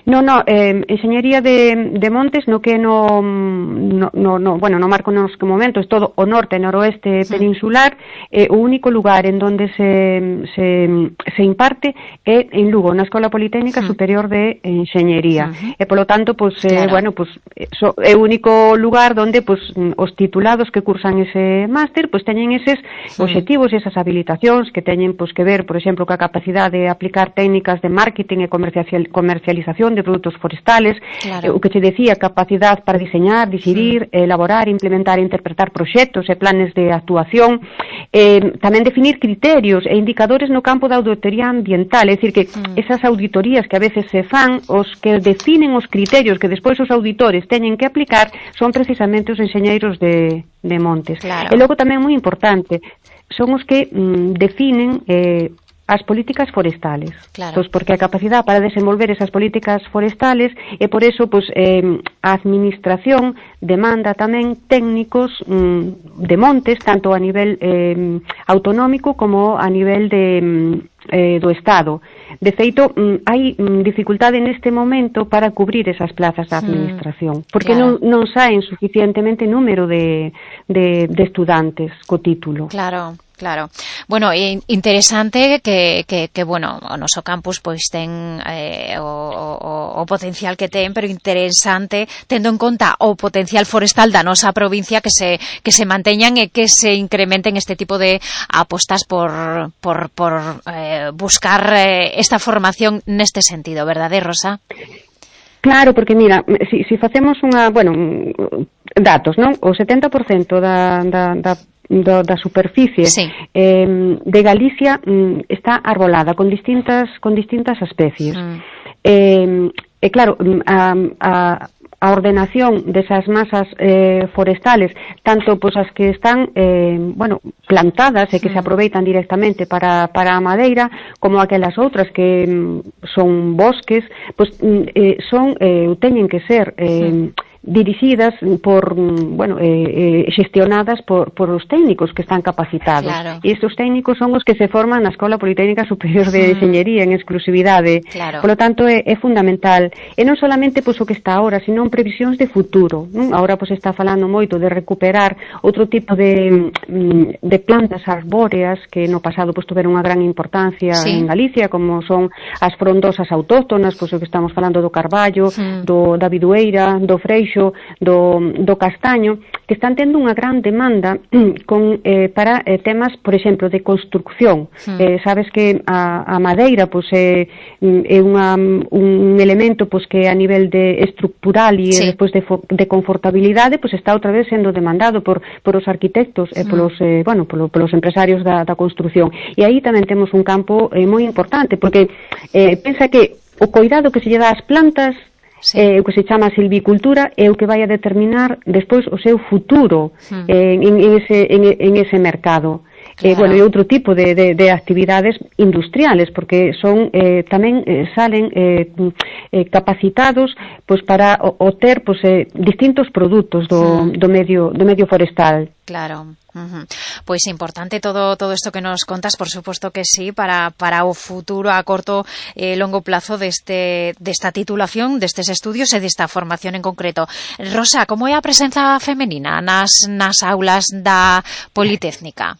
No, no, eh, enxeñería de, de montes no que no, no, no, no bueno, no marco nos que momento, es todo o norte e noroeste sí. peninsular, eh, o único lugar en donde se, se, se imparte é en Lugo, na Escola Politécnica sí. Superior de Enxeñería. Uh-huh. E polo tanto, pues, eh, claro. bueno, pues, so, é o único lugar donde pues, os titulados que cursan ese máster, pues teñen eses sí. obxectivos e esas habilitacións que teñen pues, que ver, por exemplo, ca capacidade de aplicar técnicas de marketing e comercialización de produtos forestales, claro. eh, o que te decía, capacidade para diseñar, decidir, sí. elaborar, implementar e interpretar proxectos e planes de actuación, eh, tamén definir criterios e indicadores no campo da auditoría ambiental, é dicir, que mm. esas auditorías que a veces se fan, os que definen os criterios que despois os auditores teñen que aplicar, son precisamente os enxeñeiros de, de montes. Claro. E logo tamén moi importante, son os que mm, definen eh, as políticas forestales, claro. Pois porque a capacidade para desenvolver esas políticas forestales e por eso pois, eh, a administración demanda tamén técnicos mm, de montes, tanto a nivel eh, autonómico como a nivel de, eh, do Estado. De feito, mm, hai mm, dificultade neste momento para cubrir esas plazas da administración, porque claro. non, non saen suficientemente número de, de, de estudantes co título. Claro. Claro. Bueno, interesante que, que, que bueno, o noso campus pois ten eh, o, o, o potencial que ten, pero interesante tendo en conta o potencial forestal da nosa provincia que se que se manteñan e que se incrementen este tipo de apostas por por por eh, buscar eh, esta formación neste sentido, verdade, Rosa? Claro, porque mira, si, si facemos unha, bueno, datos, non? O setenta por cento da, da, da Do, da superficie sí. eh, de Galicia mm, está arbolada con distintas con distintas especies mm. eh, e claro a, a, a ordenación desas masas eh, forestales, tanto pois as que están eh, bueno, plantadas e que mm. se aproveitan directamente para, para a madeira, como aquelas outras que mm, son bosques, pois eh, son eh, teñen que ser eh, mm. dirixidas por, bueno, eh, eh, xestionadas por, por os técnicos que están capacitados. Claro. E estes técnicos son os que se forman na Escola Politécnica Superior de Enxeñería en exclusividade. Claro. Por lo tanto, é, é fundamental. E non solamente pois, o que está ahora, sino en previsións de futuro. Non? Ahora pois, está falando moito de recuperar outro tipo de, de plantas arbóreas que no pasado pois, tuveron unha gran importancia sí. en Galicia, como son as frondosas autóctonas, pois o que estamos falando do carballo, sí. do da bidueira, do freixo, Do, do castaño, que están tendo unha gran demanda con, eh, para eh, temas, por exemplo, de construcción. Mm. Eh, sabes que a, a madeira pois, é, é unha, un elemento pois, que a nivel de estructural e sí. despois de, de confortabilidade pois, está outra vez sendo demandado por, por os arquitectos e mm. polos, eh, bueno, polo, polos empresarios da, da construcción. E aí tamén temos un campo eh, moi importante, porque eh, pensa que o cuidado que se lle dá ás plantas sí. eh, o que se chama silvicultura é o que vai a determinar despois o seu futuro mm. eh, en, en, ese, en, en ese mercado. Claro. Eh, bueno, e outro tipo de, de, de actividades industriales, porque son eh, tamén eh, salen eh, eh, capacitados pois para o, o ter pois, eh, distintos produtos do, mm. do medio do medio forestal. Claro. Uh-huh. Pois importante todo todo isto que nos contas, por suposto que sí, para para o futuro a corto e eh, longo plazo deste desta titulación, destes estudios e desta formación en concreto. Rosa, como é a presenza femenina nas nas aulas da Politécnica?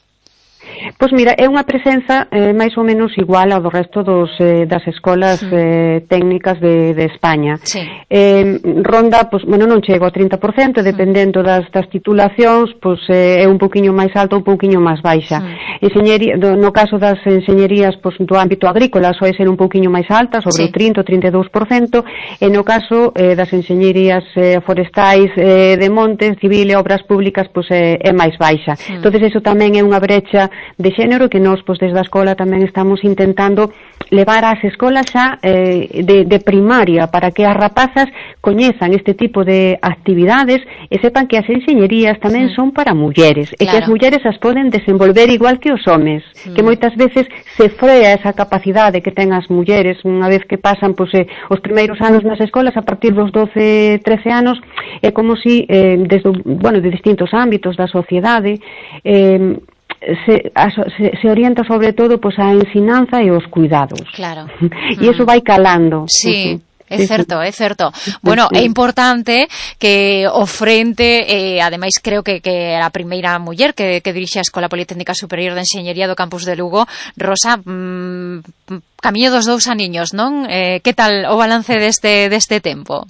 Pois mira, é unha presenza eh, máis ou menos igual ao do resto dos, eh, das escolas sí. eh, técnicas de, de España. Sí. Eh, ronda, pois, bueno, non chego ao trinta por cento, dependendo das, das titulacións, pois eh, é un pouquiño máis alta ou un pouquiño máis baixa. Sí. Enxeñería, do, no caso das enxeñerías pois, do ámbito agrícola, soe ser un pouquiño máis alta, sobre sí. o trinta ou trinta e dous por cento, e no caso eh, das enxeñerías eh, forestais eh, de montes, civil e obras públicas, pois eh, é máis baixa. Sí. Entonces, eso tamén é unha brecha de xénero que nós, pois, desde a escola tamén estamos intentando levar ás escolas xa eh, de, de primaria para que as rapazas coñezan este tipo de actividades e sepan que as enxeñerías tamén sí. son para mulleres claro. e que as mulleres as poden desenvolver igual que os homes, sí. que moitas veces se frea esa capacidade que ten as mulleres unha vez que pasan pois, eh, os primeiros anos nas escolas, a partir dos doce, trece anos, é como si eh, desde, bueno, de distintos ámbitos da sociedade eh, Se, a, se, se orienta sobre todo pois, a ensinanza e os cuidados. Claro. E iso vai calando. Sí. Uh-huh. É certo, é certo. Bueno, é importante que o frente, eh, ademais creo que, que era a primeira muller que, que dirixe a Escola Politécnica Superior de Enxeñería do campus de Lugo. Rosa, mmm, camiño dos dous aniños, non? Eh, que tal o balance deste, deste tempo?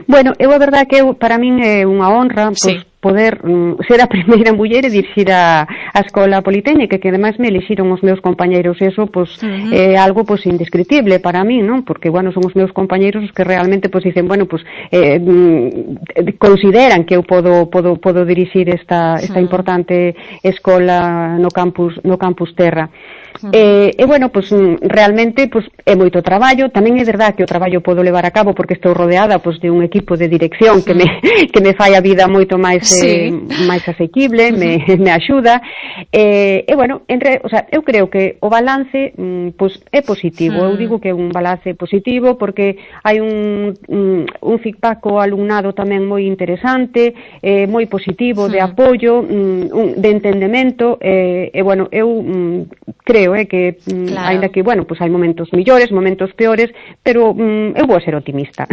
Bueno, eu a verdade que eu, para min é unha honra, pois, sí, poder mm, ser a primeira muller e dirixir a, a Escola Politécnica, que ademais me elixiron os meus compañeiros, e eso, pois, uh-huh, é algo, pois, indescriptible para mí, non? Porque, bueno, son os meus compañeiros os que realmente, pois, dicen, bueno, pois, eh, mm, consideran que eu podo, podo, podo dirixir esta, esta uh-huh, importante escola no campus, no campus Terra. Uh-huh. E, e, bueno, pois, realmente, pois, é moito traballo. Tamén é verdade que o traballo podo levar a cabo porque estou rodeada, pois, de un equipo de dirección que me, que me fai a vida moito máis, sí, eh, máis asequible, uh-huh, me, me axuda. E, e bueno, entre, o sea, eu creo que o balance, mm, pois, é positivo. Uh-huh. Eu digo que é un balance positivo porque hai un, un, un feedback ao alumnado tamén moi interesante, eh, moi positivo, uh-huh, de apoio, mm, un, de entendemento, eh, e, bueno, eu mm, creo eh, que, mm, claro, ainda que, bueno, pois hai momentos millores, momentos peores, pero mm, eu vou a ser optimista.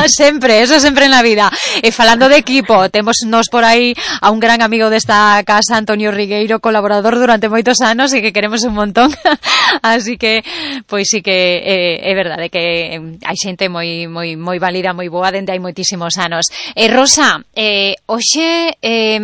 Sempre, eso sempre na vida. E falando de equipo, temos nos por aí a un gran amigo desta casa, Antonio Rigueiro, colaborador durante moitos anos e que queremos un montón. Así que, pois sí que é, é verdade que hai xente moi moi moi válida, moi boa dende hai moitísimos anos. E Rosa, eh, hoxe eh,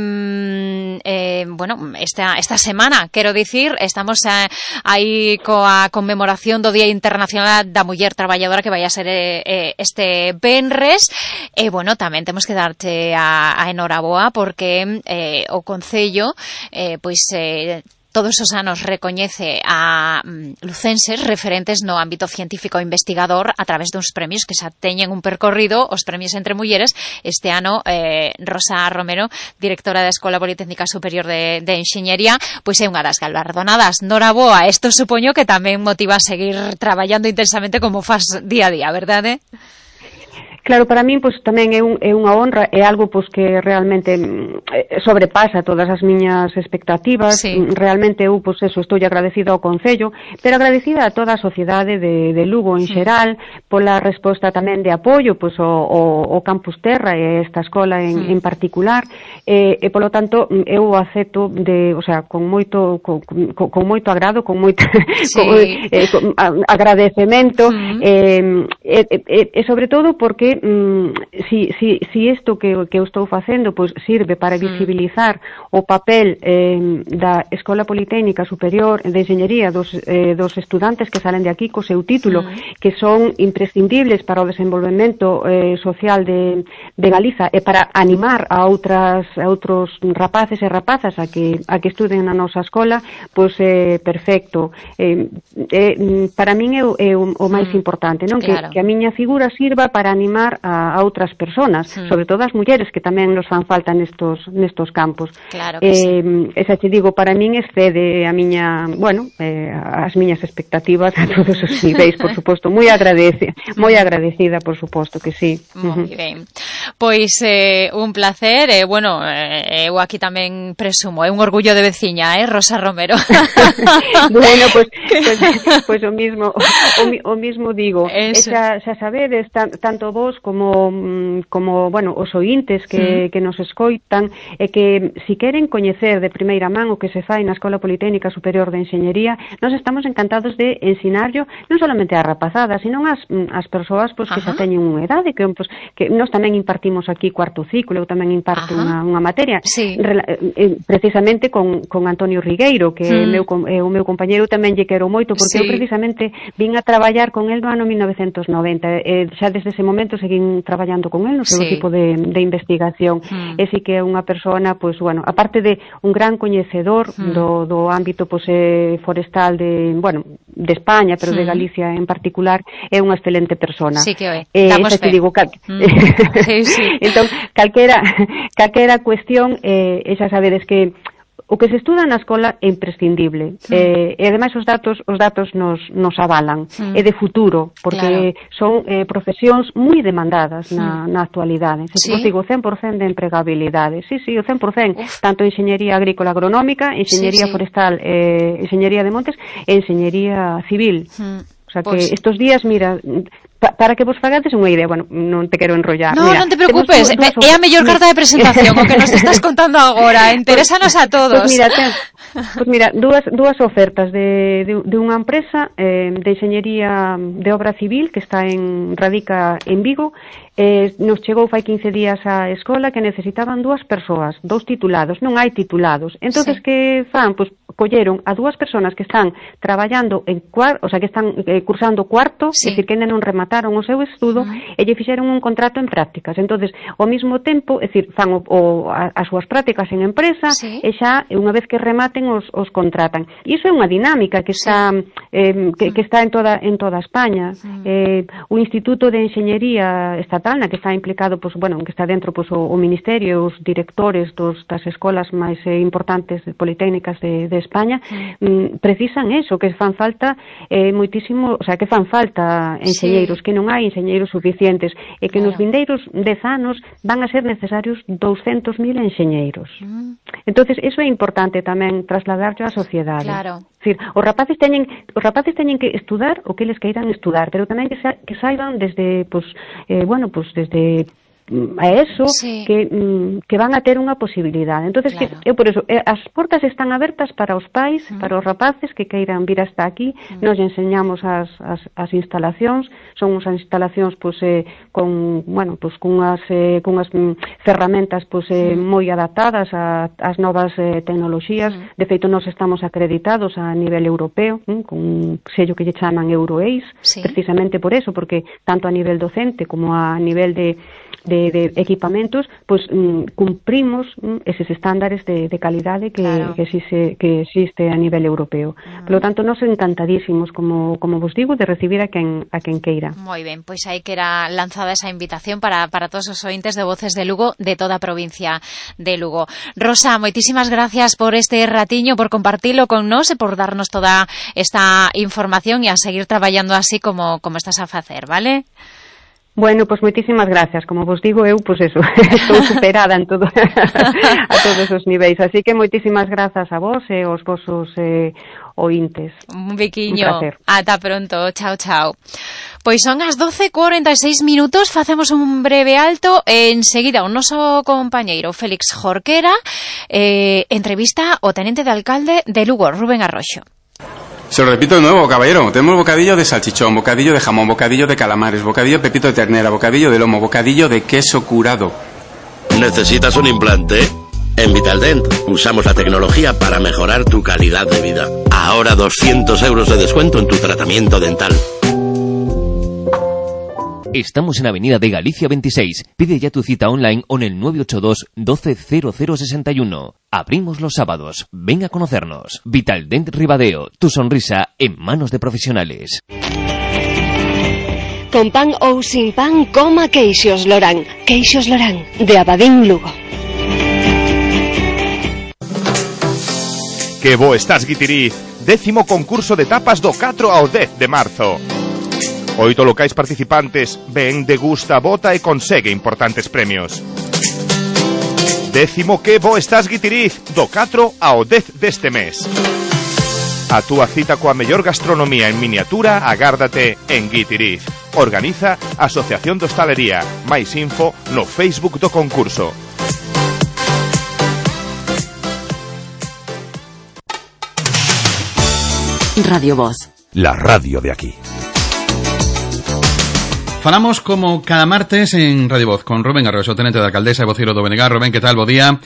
eh, bueno, esta esta semana, quero dicir, estamos eh, aí coa conmemoración do Día Internacional da Muller Traballadora que vai a ser eh, este venres. E bueno, tamén temos que darte a, a enhoraboa porque eh, o Concello eh, pois eh, todos os anos recoñece a mm, lucenses referentes no ámbito científico e investigador a través duns premios que xa teñen un percorrido, os premios entre mulleres. Este ano, eh, Rosa Romero, directora da Escola Politécnica Superior de, de Enxeñería, pois é unha das galardonadas. Noraboa, isto supoño que tamén motiva a seguir traballando intensamente como faz día a día, verdade? Claro, para min, pois, tamén é, un, é unha honra, é algo, pois, que realmente eh, sobrepasa todas as miñas expectativas. Sí. Realmente eu, pois, eso, estou agradecida ao Concello, pero agradecida a toda a sociedade de, de Lugo en sí, xeral, pola resposta tamén de apoio, pois, o, o, o Campus Terra e esta escola en, sí, en particular, e, e, polo tanto, eu acepto de, o sea, con moito, con, con, con moito agrado, con moito sí, con, eh, con, a, agradecemento, uh-huh, e, e, e, e, sobre todo porque Mm, si, si, si isto que, que eu estou facendo pois sirve para visibilizar mm. o papel eh, da Escola Politécnica Superior de Enxeñería dos, eh, dos estudantes que salen de aquí co seu título, mm. que son imprescindibles para o desenvolvemento eh, social de, de Galiza e para animar a outras a outros rapaces e rapazas a que, a que estuden na nosa escola, pois é eh, perfecto. Eh, eh, para min é, é o, o máis mm. importante, non? Claro. Que, que a miña figura sirva para animar A, a outras persoas, mm. sobre todo as mulleres que tamén nos fan falta nestos nestos campos. Claro que eh, sí. Esa te digo, para min excede a miña, bueno, eh, as miñas expectativas a todos os niveis, por suposto, moi agradecida, moi agradecida, por suposto que sí. Moi ben. Pois eh, un placer, e eh, bueno, eh, eu aquí tamén presumo, é un orgullo de veciña, eh, Rosa Romero. Bueno, pois pues, pues, pues o mismo o, o mismo digo. Xa, xa sabedes, tan, tanto vos como como, bueno, os ointes que, sí, que nos escoitan, e que si queren coñecer de primeira man o que se fai na Escola Politécnica Superior de Enxeñería, nos estamos encantados de ensinarlo non solamente a rapazada, sino as, as persoas pois, que xa teñen unha edade, que, pois, que nós tamén impartimos aquí cuarto ciclo, eu tamén imparto unha, unha materia, sí, eh, precisamente con, con Antonio Rigueiro, que mm. meu, eh, o meu compañeiro tamén lle quero moito, porque sí, eu precisamente vin a traballar con el no ano mil novecentos noventa, e xa desde ese momento seguín traballando con el no seu sí, equipo de, de investigación, mm. e si que é unha persona, pois, bueno, aparte de un gran coñecedor mm. do, do ámbito pois, eh, forestal de, bueno, de España, pero mm. de Galicia en particular, é unha excelente persona. Sí que é, eh, damos fe. Te digo, cal... mm. sí, sí. Entón, calquera, calquera cuestión, eh, xa sabedes que o que se estuda na escola é imprescindible, mm. eh, e ademais os datos os datos nos, nos avalan, mm. é de futuro, porque claro, son eh, profesións moi demandadas na, mm. na actualidade. Se ¿Sí? digo cen por cento de empregabilidade, sí, sí, o cen por cento, Uf. tanto enxeñería agrícola agronómica, enxeñería sí, sí. forestal, eh, enxeñería de montes e enxeñería civil. Mm. O sea que pues... estos días, mira, pa, para que vos fagades unha idea, bueno, non te quero enrollar. No, Mira, non te preocupes, é a mellor carta de presentación o que nos estás contando agora, interésanos a todos. Pues mira, ten, pues mira, dúas, dúas ofertas de, de, de unha empresa eh, de enxeñería de obra civil que está en radica en Vigo. Eh, nos chegou fai quince días á escola que necesitaban dúas persoas, dous titulados, non hai titulados. Entonces, sí. que fan? Pois colleron a dúas persoas que están traballando en cuarto, o sea, que están eh, cursando cuarto, sí. é dicir, que ainda non remataron o seu estudo, uh-huh. e lle fixeron un contrato en prácticas. Entonces, ao mesmo tempo, é dicir, fan o, o, a, as súas prácticas en empresa, sí. e xa, unha vez que rematen, os, os contratan. E iso é unha dinámica que está, sí. eh, que, que está en toda, en toda España. Uh-huh. Eh, o Instituto de Enxeñería Estatal, na que está implicado, pues, bueno, que está dentro pues, o, o Ministerio, os directores dos, das escolas máis eh, importantes politécnicas de, de España, mm, precisan eso, que fan falta eh, moitísimo, o sea, que fan falta enxeñeiros, sí. que non hai enxeñeiros suficientes, e que claro. nos vindeiros dez anos van a ser necesarios douscentos mil enxeñeiros. Mm. Entonces, eso é importante tamén trasladarlo á sociedade. Claro. Es decir, os rapaces teñen, os rapaces teñen que estudar o que eles queiran estudar, pero tamén que, sa, que saiban desde, pues, eh, bueno, pues desde a eso sí. que, que van a ter unha posibilidade. Entonces, claro. que, eu por eso, as portas están abertas para os pais, uh-huh. para os rapaces que queiran vir hasta aquí. Uh-huh. Nos enseñamos as, as, as instalacións, son unhas instalacións pues, eh, con, bueno, pues, con unhas, eh, con unhas ferramentas pues, eh, uh-huh. moi adaptadas ás novas eh, tecnoloxías. Uh-huh. De feito, nos estamos acreditados a nivel europeo, eh, con un sello que lle chaman EuroAce, sí. precisamente por eso, porque tanto a nivel docente como a nivel de De, de equipamentos, pues mm, cumprimos mm, eses estándares de, de calidade que, claro. que, existe, que existe a nivel europeo. Mm. Por lo tanto, nos encantadísimos, como, como vos digo, de recibir a quen, a quen queira. Moi ben, pois aí que era lanzada esa invitación para, para todos os ointes de Voces de Lugo de toda a provincia de Lugo. Rosa, moitísimas gracias por este ratiño, por compartilo con nos e por darnos toda esta información e a seguir traballando así como, como estás a facer, vale? Bueno, pues moitísimas gracias. Como vos digo, eu, pues eso, estou superada en todo, a todos os niveis. Así que moitísimas grazas a vos e aos vosos eh, ointes. Un biquiño. Un placer. Ata pronto. Chao, chao. Pois son as doce e cuarenta e seis minutos, facemos un breve alto e enseguida o noso compañeiro Félix Jorquera eh, entrevista ao tenente de alcalde de Lugo, Rubén Arroxo. Se lo repito de nuevo, caballero. Tenemos bocadillo de salchichón, bocadillo de jamón, bocadillo de calamares, bocadillo de pepito de ternera, bocadillo de lomo, bocadillo de queso curado. ¿Necesitas un implante? En Vitaldent usamos la tecnología para mejorar tu calidad de vida. Ahora doscientos euros de descuento en tu tratamiento dental. Estamos en Avenida de Galicia veintiséis. Pide ya tu cita online o en el nueve ocho dos, doce, cero cero sesenta y uno. Abrimos los sábados. Ven a conocernos. Vitaldent Ribadeo. Tu sonrisa en manos de profesionales. Con pan ou sin pan, coma Queixos Lorán. Queixos Lorán, de Abadín, Lugo. Que bo estás, Guitiriz. Décimo concurso de tapas do catro ao dez de marzo. Oito locais participantes, ven, degusta, vota e consegue importantes premios. Décimo que bo estás, Guitiriz, do catro ao dez deste mes. A túa cita coa mellor gastronomía en miniatura agárdate en Guitiriz. Organiza a Asociación de Hostalería. Máis info no Facebook do concurso. Radio Voz. La radio de aquí. Falamos como cada martes en Radio Voz con Rubén Arroxo, tenente de alcaldesa e vocero do B N G. Rubén, que tal? Bo día.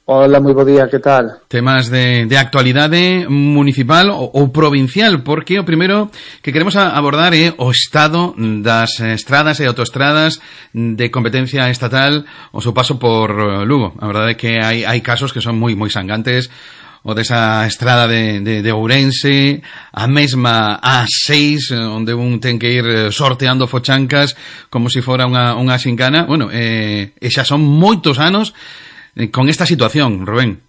Hola, moi bo día, que tal? Temas de, de actualidade municipal ou, ou provincial, porque o primeiro que queremos abordar é o estado das estradas e autoestradas de competencia estatal o seu paso por Lugo. A verdade é que hai, hai casos que son moi moi sangantes, o desa estrada de, de, de Ourense, a mesma A seis, onde un ten que ir sorteando fochancas como se si fora unha, unha xincana. Bueno, eh, e xa son moitos anos con esta situación, Rubén.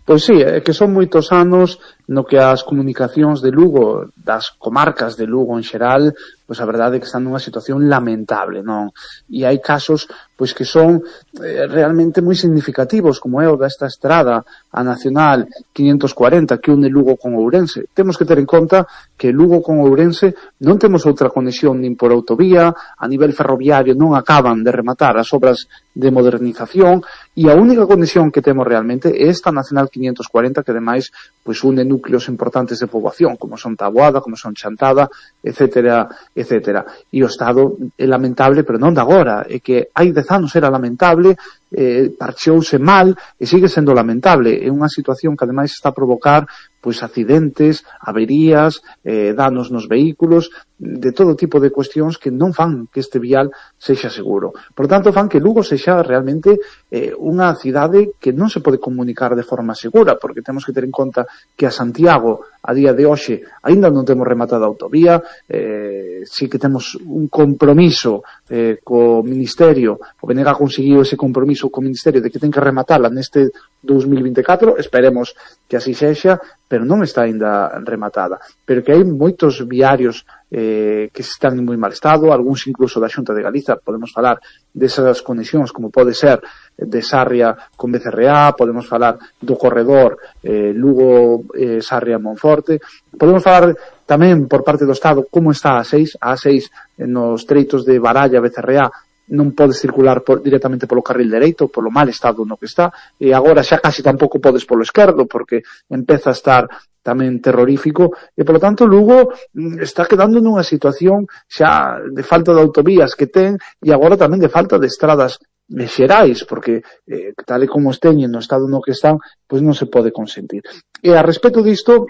Pois sí, é que son moitos anos no que as comunicacións de Lugo, das comarcas de Lugo en xeral, pois a verdade é que están nunha situación lamentable, non? E hai casos pois que son eh, realmente moi significativos, como é o desta estrada a Nacional quinientos cuarenta que une Lugo con Ourense. Temos que ter en conta que Lugo con Ourense non temos outra conexión nin por autovía, a nivel ferroviario non acaban de rematar as obras de modernización e a única conexión que temos realmente é esta Nacional quinientos cuarenta que ademais pois une núcleos importantes de poboación como son Taboada, como son Chantada, etcétera, etcétera. E o estado é lamentable, pero non de agora, é que hai dez anos era lamentable, eh, parcheouse mal e sigue sendo lamentable. É unha situación que ademais está a provocar pois accidentes, averías, eh, danos nos vehículos, de todo tipo de cuestións que non fan que este vial sexa seguro. Por tanto, fan que Lugo sexa realmente eh, unha cidade que non se pode comunicar de forma segura, porque temos que ter en conta que a Santiago, a día de hoxe, aínda non temos rematada a autovía, eh, sí que temos un compromiso eh, co Ministerio, o B N G conseguiu ese compromiso co Ministerio de que ten que rematala neste dos mil vinte e catro, esperemos que así sexa, pero non está aínda rematada. Pero que hai moitos viarios eh, que están en moi mal estado, algúns incluso da Xunta de Galiza, podemos falar desas conexións como pode ser de Sarria con B C R A, podemos falar do corredor eh, Lugo, eh, Sarria, Monforte, podemos falar tamén por parte do Estado como está a A seis, a A seis nos treitos de Baralla, B C R A, non podes circular por, directamente polo carril dereito, polo mal estado no que está, e agora xa casi tampouco podes polo esquerdo, porque empeza a estar tamén terrorífico, e polo tanto Lugo está quedando nunha situación xa de falta de autovías que ten, e agora tamén de falta de estradas xerais, porque eh, tal e como estén no estado no que están, pois non se pode consentir. E a respecto disto,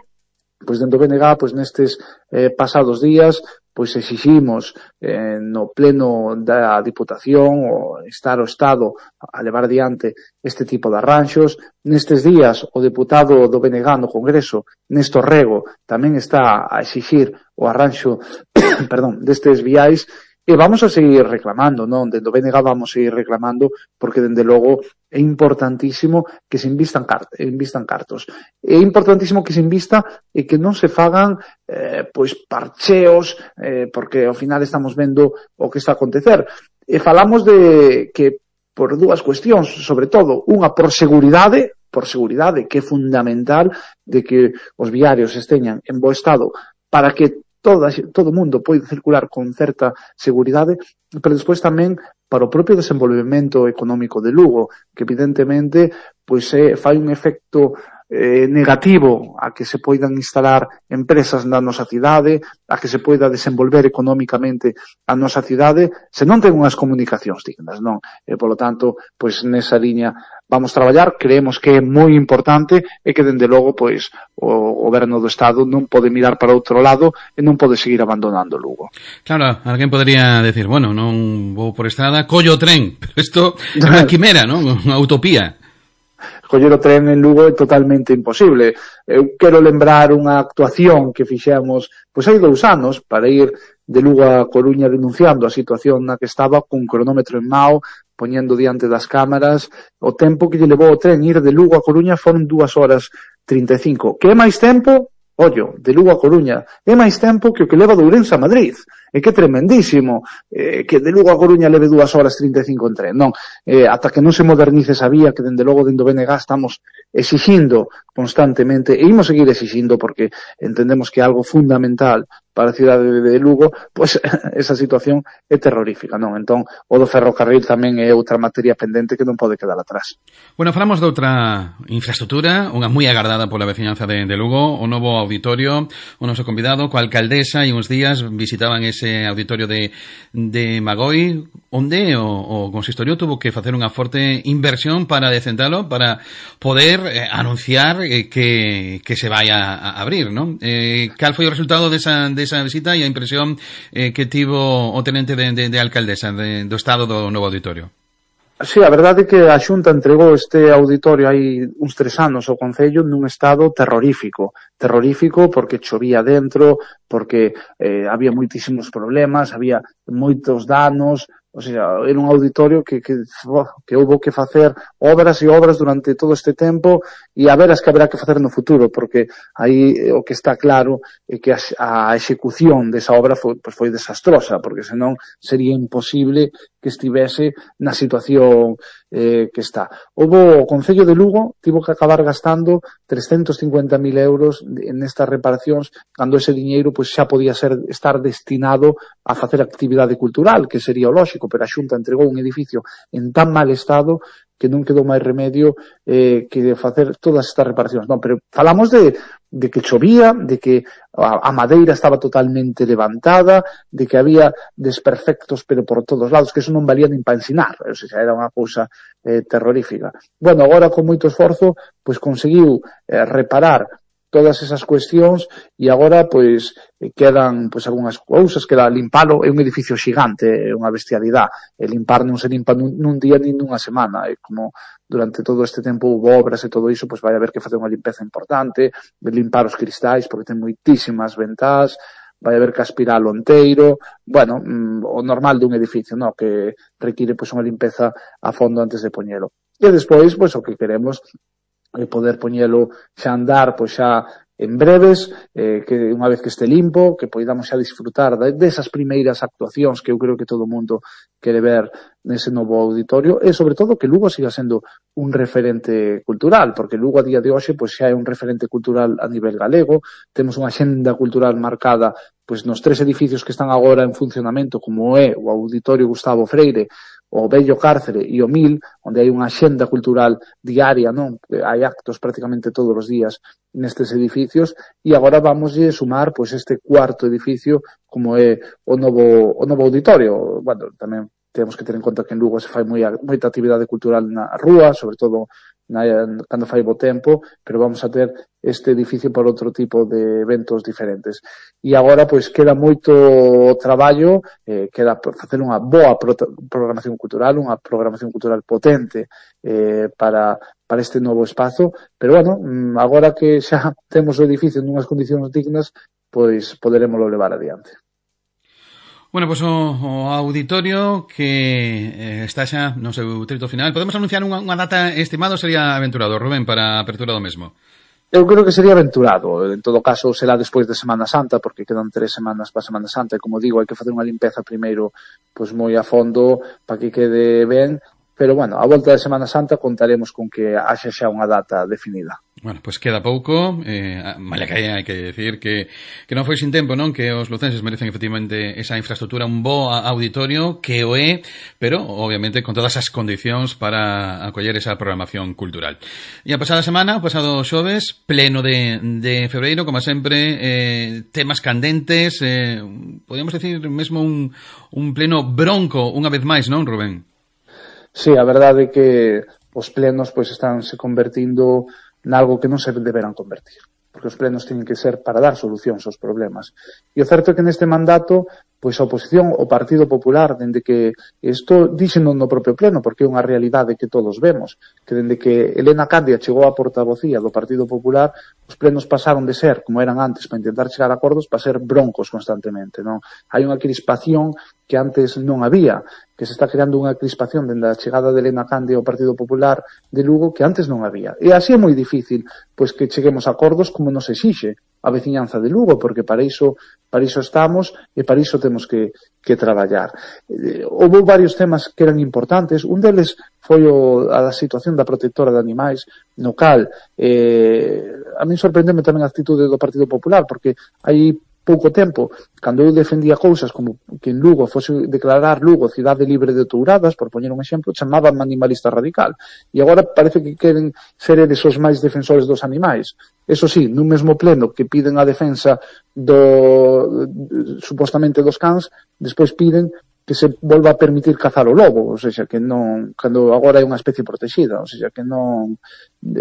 pois dentro do B N G, pois nestes eh, pasados días, pois exiximos eh, no pleno da Diputación o estar o Estado a levar adiante este tipo de arranxos. Nestes días o deputado do B N G no Congreso, Néstor Rego, tamén está a exixir o arranxo perdón, destes viais. E vamos a seguir reclamando, non? Dende o B N G vamos a seguir reclamando porque, dende logo, é importantísimo que se invistan, cart invistan cartos. É importantísimo que se invista e que non se fagan eh, pois parcheos, eh, porque ao final estamos vendo o que está a acontecer. E falamos de que, por dúas cuestións, sobre todo, unha por seguridade, por seguridade, que é fundamental de que os viarios esteñan en bo estado para que Toda, todo o mundo pode circular con certa seguridade, pero despois tamén para o propio desenvolvemento económico de Lugo, que evidentemente pois é, fai un efecto eh, negativo a que se poidan instalar empresas na nosa cidade, a que se poida desenvolver económicamente a nosa cidade, se non ten unhas comunicacións dignas, non? E, polo tanto, pois nesa liña vamos traballar, creemos que é moi importante e que, dende logo, pois, o goberno do Estado non pode mirar para outro lado e non pode seguir abandonando Lugo. Claro, alguén podría decir, bueno, non vou por estrada, collo o tren, pero isto é unha quimera, non? Unha utopía. Coller o tren en Lugo é totalmente imposible. Eu quero lembrar unha actuación que fixemos, pois hai dous anos, para ir de Lugo a Coruña denunciando a situación na que estaba, cun cronómetro en mao, poñendo diante das cámaras, o tempo que lle levou o tren ir de Lugo a Coruña foron dúas horas trinta e cinco. Que é máis tempo? Ollo, de Lugo a Coruña, é máis tempo que o que leva de Ourense a Madrid. É que é tremendísimo eh, que de Lugo a Coruña leve dúas horas trinta e cinco en tren. Non, eh, ata que non se modernice esa vía, que dende logo dentro do B N G estamos exixindo constantemente, e imos seguir exixindo porque entendemos que é algo fundamental para a cidade de Lugo, pois esa situación é terrorífica, non? Entón, o do ferrocarril tamén é outra materia pendente que non pode quedar atrás. Bueno, falamos de outra infraestructura, unha moi agardada pola veciñanza de, de Lugo, o novo auditorio, o noso convidado, coa alcaldesa, e uns días visitaban ese auditorio de, de Magoi, onde o, o consistorio tuvo que facer unha forte inversión para decentalo, para poder eh, anunciar eh, que, que se vai a, a abrir, non? Eh, cal foi o resultado desa, desa visita e a impresión eh, que tivo o tenente de, de, de alcaldesa de, do estado do novo auditorio? Sí, a verdade é que a Xunta entregou este auditorio hai uns tres anos ao Concello nun estado terrorífico. Terrorífico porque chovía dentro, porque eh, había moitísimos problemas, había moitos danos, O sea, era un auditorio que, que, que houve que facer obras e obras durante todo este tempo e a ver as que haberá que facer no futuro, porque aí o que está claro é que a, a execución desa obra foi, pues foi desastrosa, porque senón sería imposible que estivese na situación eh, que está. Houve o Concello de Lugo tivo que acabar gastando trescentos cincuenta mil euros nestas reparacións, cando ese diñeiro pues, xa podía ser estar destinado a facer actividade cultural, que sería o lóxico, pero a Xunta entregou un edificio en tan mal estado que non quedou máis remedio eh, que de facer todas estas reparacións. Non, pero falamos de, de que chovía, de que a, a madeira estaba totalmente levantada, de que había desperfectos pero por todos lados, que eso non valía nin para ensinar, o sea, era unha cousa eh, terrorífica. Bueno, agora con moito esforzo, pois conseguiu eh, reparar todas esas cuestións e agora pois quedan pois algunhas cousas, queda limpalo, é un edificio xigante, é unha bestialidade, e limpar non se limpa nun, nun día nin nunha semana, e como durante todo este tempo hubo obras e todo iso, pois vai haber que facer unha limpeza importante, de limpar os cristais, porque ten moitísimas ventás, vai haber que aspiralo enteiro, bueno, o normal dun edificio, no, que require pois unha limpeza a fondo antes de poñelo. E despois, pois o que queremos e poder poñelo xa andar pois xa en breves, eh, que unha vez que este limpo, que poidamos xa disfrutar desas primeiras actuacións que eu creo que todo o mundo quere ver nese novo auditorio, e sobre todo que Lugo siga sendo un referente cultural, porque Lugo a día de hoxe pois xa é un referente cultural a nivel galego, temos unha xenda cultural marcada pois nos tres edificios que están agora en funcionamento, como é o Auditorio Gustavo Freire, o Bello Cárcere e o Mil, onde hai unha xenda cultural diaria, non? Hai actos prácticamente todos os días nestes edificios, e agora vamos a sumar pois este cuarto edificio como é o novo o novo auditorio. Bueno, tamén temos que ter en conta que en Lugo se fai moi, moita actividade cultural na rúa, sobre todo na, cando fai bo tempo, pero vamos a ter este edificio para outro tipo de eventos diferentes. E agora, pois, queda moito traballo, eh, queda facer unha boa pro programación cultural, unha programación cultural potente eh, para, para este novo espazo, pero, bueno, agora que xa temos o edificio en unhas condicións dignas, pois poderemoslo levar adiante. Bueno, pois pues, o, o auditorio que eh, está xa no seu trito final. Podemos anunciar unha, unha data estimada, sería aventurado, Rubén, para a apertura do mesmo? Eu creo que sería aventurado. En todo caso, será despois de Semana Santa, porque quedan tres semanas para Semana Santa, e como digo, hai que facer unha limpeza primeiro pois moi a fondo para que quede ben. Pero, bueno, a volta de Semana Santa contaremos con que haxa xa unha data definida. Bueno, pois pues queda pouco, eh, mala que hai que decir que, que non foi sin tempo, non? Que os lucenses merecen efectivamente esa infraestructura, un bo auditorio, que o é, pero obviamente con todas as condicións para acoller esa programación cultural. E a pasada semana, o pasado xoves, pleno de, de febreiro, como sempre, eh, temas candentes, eh, podríamos decir mesmo un, un pleno bronco, unha vez máis, non, Rubén? Sí, a verdade é que os plenos pois están se convertindo nalgo que non se deberán convertir, porque os plenos teñen que ser para dar solucións aos problemas. E o certo é que neste mandato, pois a oposición, o Partido Popular, dende que isto díxeno no propio pleno, porque é unha realidade que todos vemos, que dende que Elena Candia chegou á portavocía do Partido Popular, os plenos pasaron de ser, como eran antes, para intentar chegar a acordos, para ser broncos constantemente, non? Hai unha crispación que antes non había, que se está creando unha crispación dende a chegada de Elena Candia ao Partido Popular de Lugo que antes non había. E así é moi difícil pois que cheguemos a acordos como nos exixe a veciñanza de Lugo, porque para iso para iso estamos e para iso temos que, que traballar. Eh, houve varios temas que eran importantes. Un deles foi o, a situación da protectora de animais, no cal eh, a min sorprendeme tamén a actitude do Partido Popular, porque hai pouco tempo, cando eu defendía cousas como que en Lugo fose declarar Lugo cidade libre de touradas, por poñer un exemplo, chamaban animalista radical. E agora parece que queren ser eles os máis defensores dos animais. Eso sí, nun mesmo pleno que piden a defensa do supostamente dos cans, despois piden que se volva a permitir cazar o lobo, ou seja, que non, cando agora é unha especie protegida, ou seja, que non,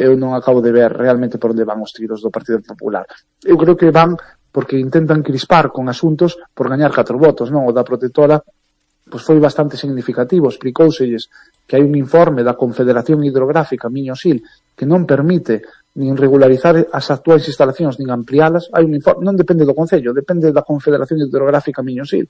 eu non acabo de ver realmente por onde van os tiros do Partido Popular. Eu creo que van porque intentan crispar con asuntos por gañar catro votos, non? O da protectora pois foi bastante significativo, explicóuselles que hai un informe da Confederación Hidrográfica Miño-Sil que non permite nin regularizar as actuais instalacións nin ampliálas. Hai un informe, non depende do Concello, depende da Confederación Hidrográfica Miño-Sil,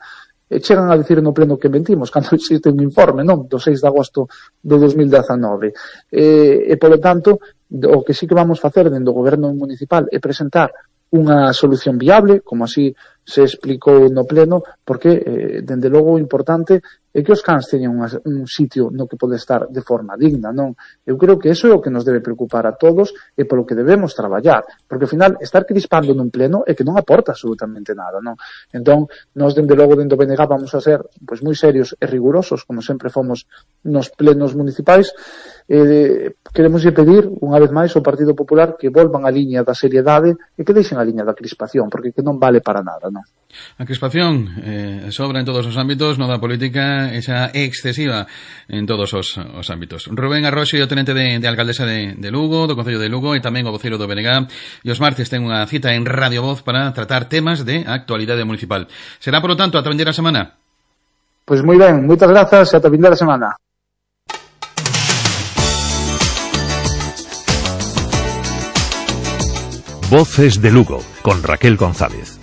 e chegan a dicir no pleno que mentimos, cando existe un informe, non, do seis de agosto de dos mil dezanove. E, e polo tanto, o que sí que vamos facer dentro do goberno municipal é presentar unha solución viable, como así se explicou no pleno, porque, eh, dende logo, o importante é que os cans teñan unha, un sitio no que pode estar de forma digna, non? Eu creo que eso é o que nos debe preocupar a todos e polo que debemos traballar, porque, ao final, estar crispando nun pleno é que non aporta absolutamente nada, non? Entón, nós, dende logo, dentro do B N G, vamos a ser pois moi serios e rigurosos, como sempre fomos nos plenos municipais. Eh, queremos pedir, unha vez máis, ao Partido Popular que volvan a liña da seriedade e que deixen a liña da crispación, porque que non vale para nada, non? A crispación eh, sobra en todos os ámbitos, non da política, esa é excesiva en todos os, os ámbitos. Rubén Arroxo, o tenente de, de alcaldesa de, de Lugo, do Concello de Lugo, e tamén o voceiro do B N G, e os martes ten unha cita en Radio Voz para tratar temas de actualidade municipal. Será, por lo tanto, ata vindeira semana? Pois moi ben, moitas grazas e ata vindeira semana. Voces de Lugo, con Raquel González.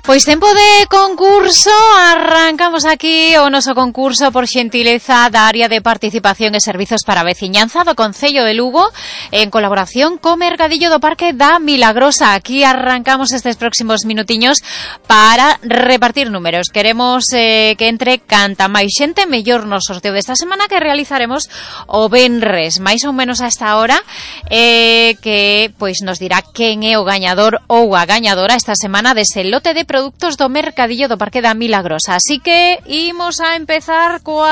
Pois tempo de concurso, arrancamos aquí o noso concurso por xentileza da área de participación e servizos para a veciñanza do Concello de Lugo en colaboración co Mercadillo do Parque da Milagrosa. Aquí arrancamos estes próximos minutiños para repartir números. Queremos eh, que entre canta máis xente mellor no sorteo desta semana que realizaremos o venres, máis ou menos a esta hora, eh, que pois nos dirá quen é o gañador ou a gañadora esta semana dese lote de productos do Mercadillo do Parque da Milagrosa. Así que imos a empezar coa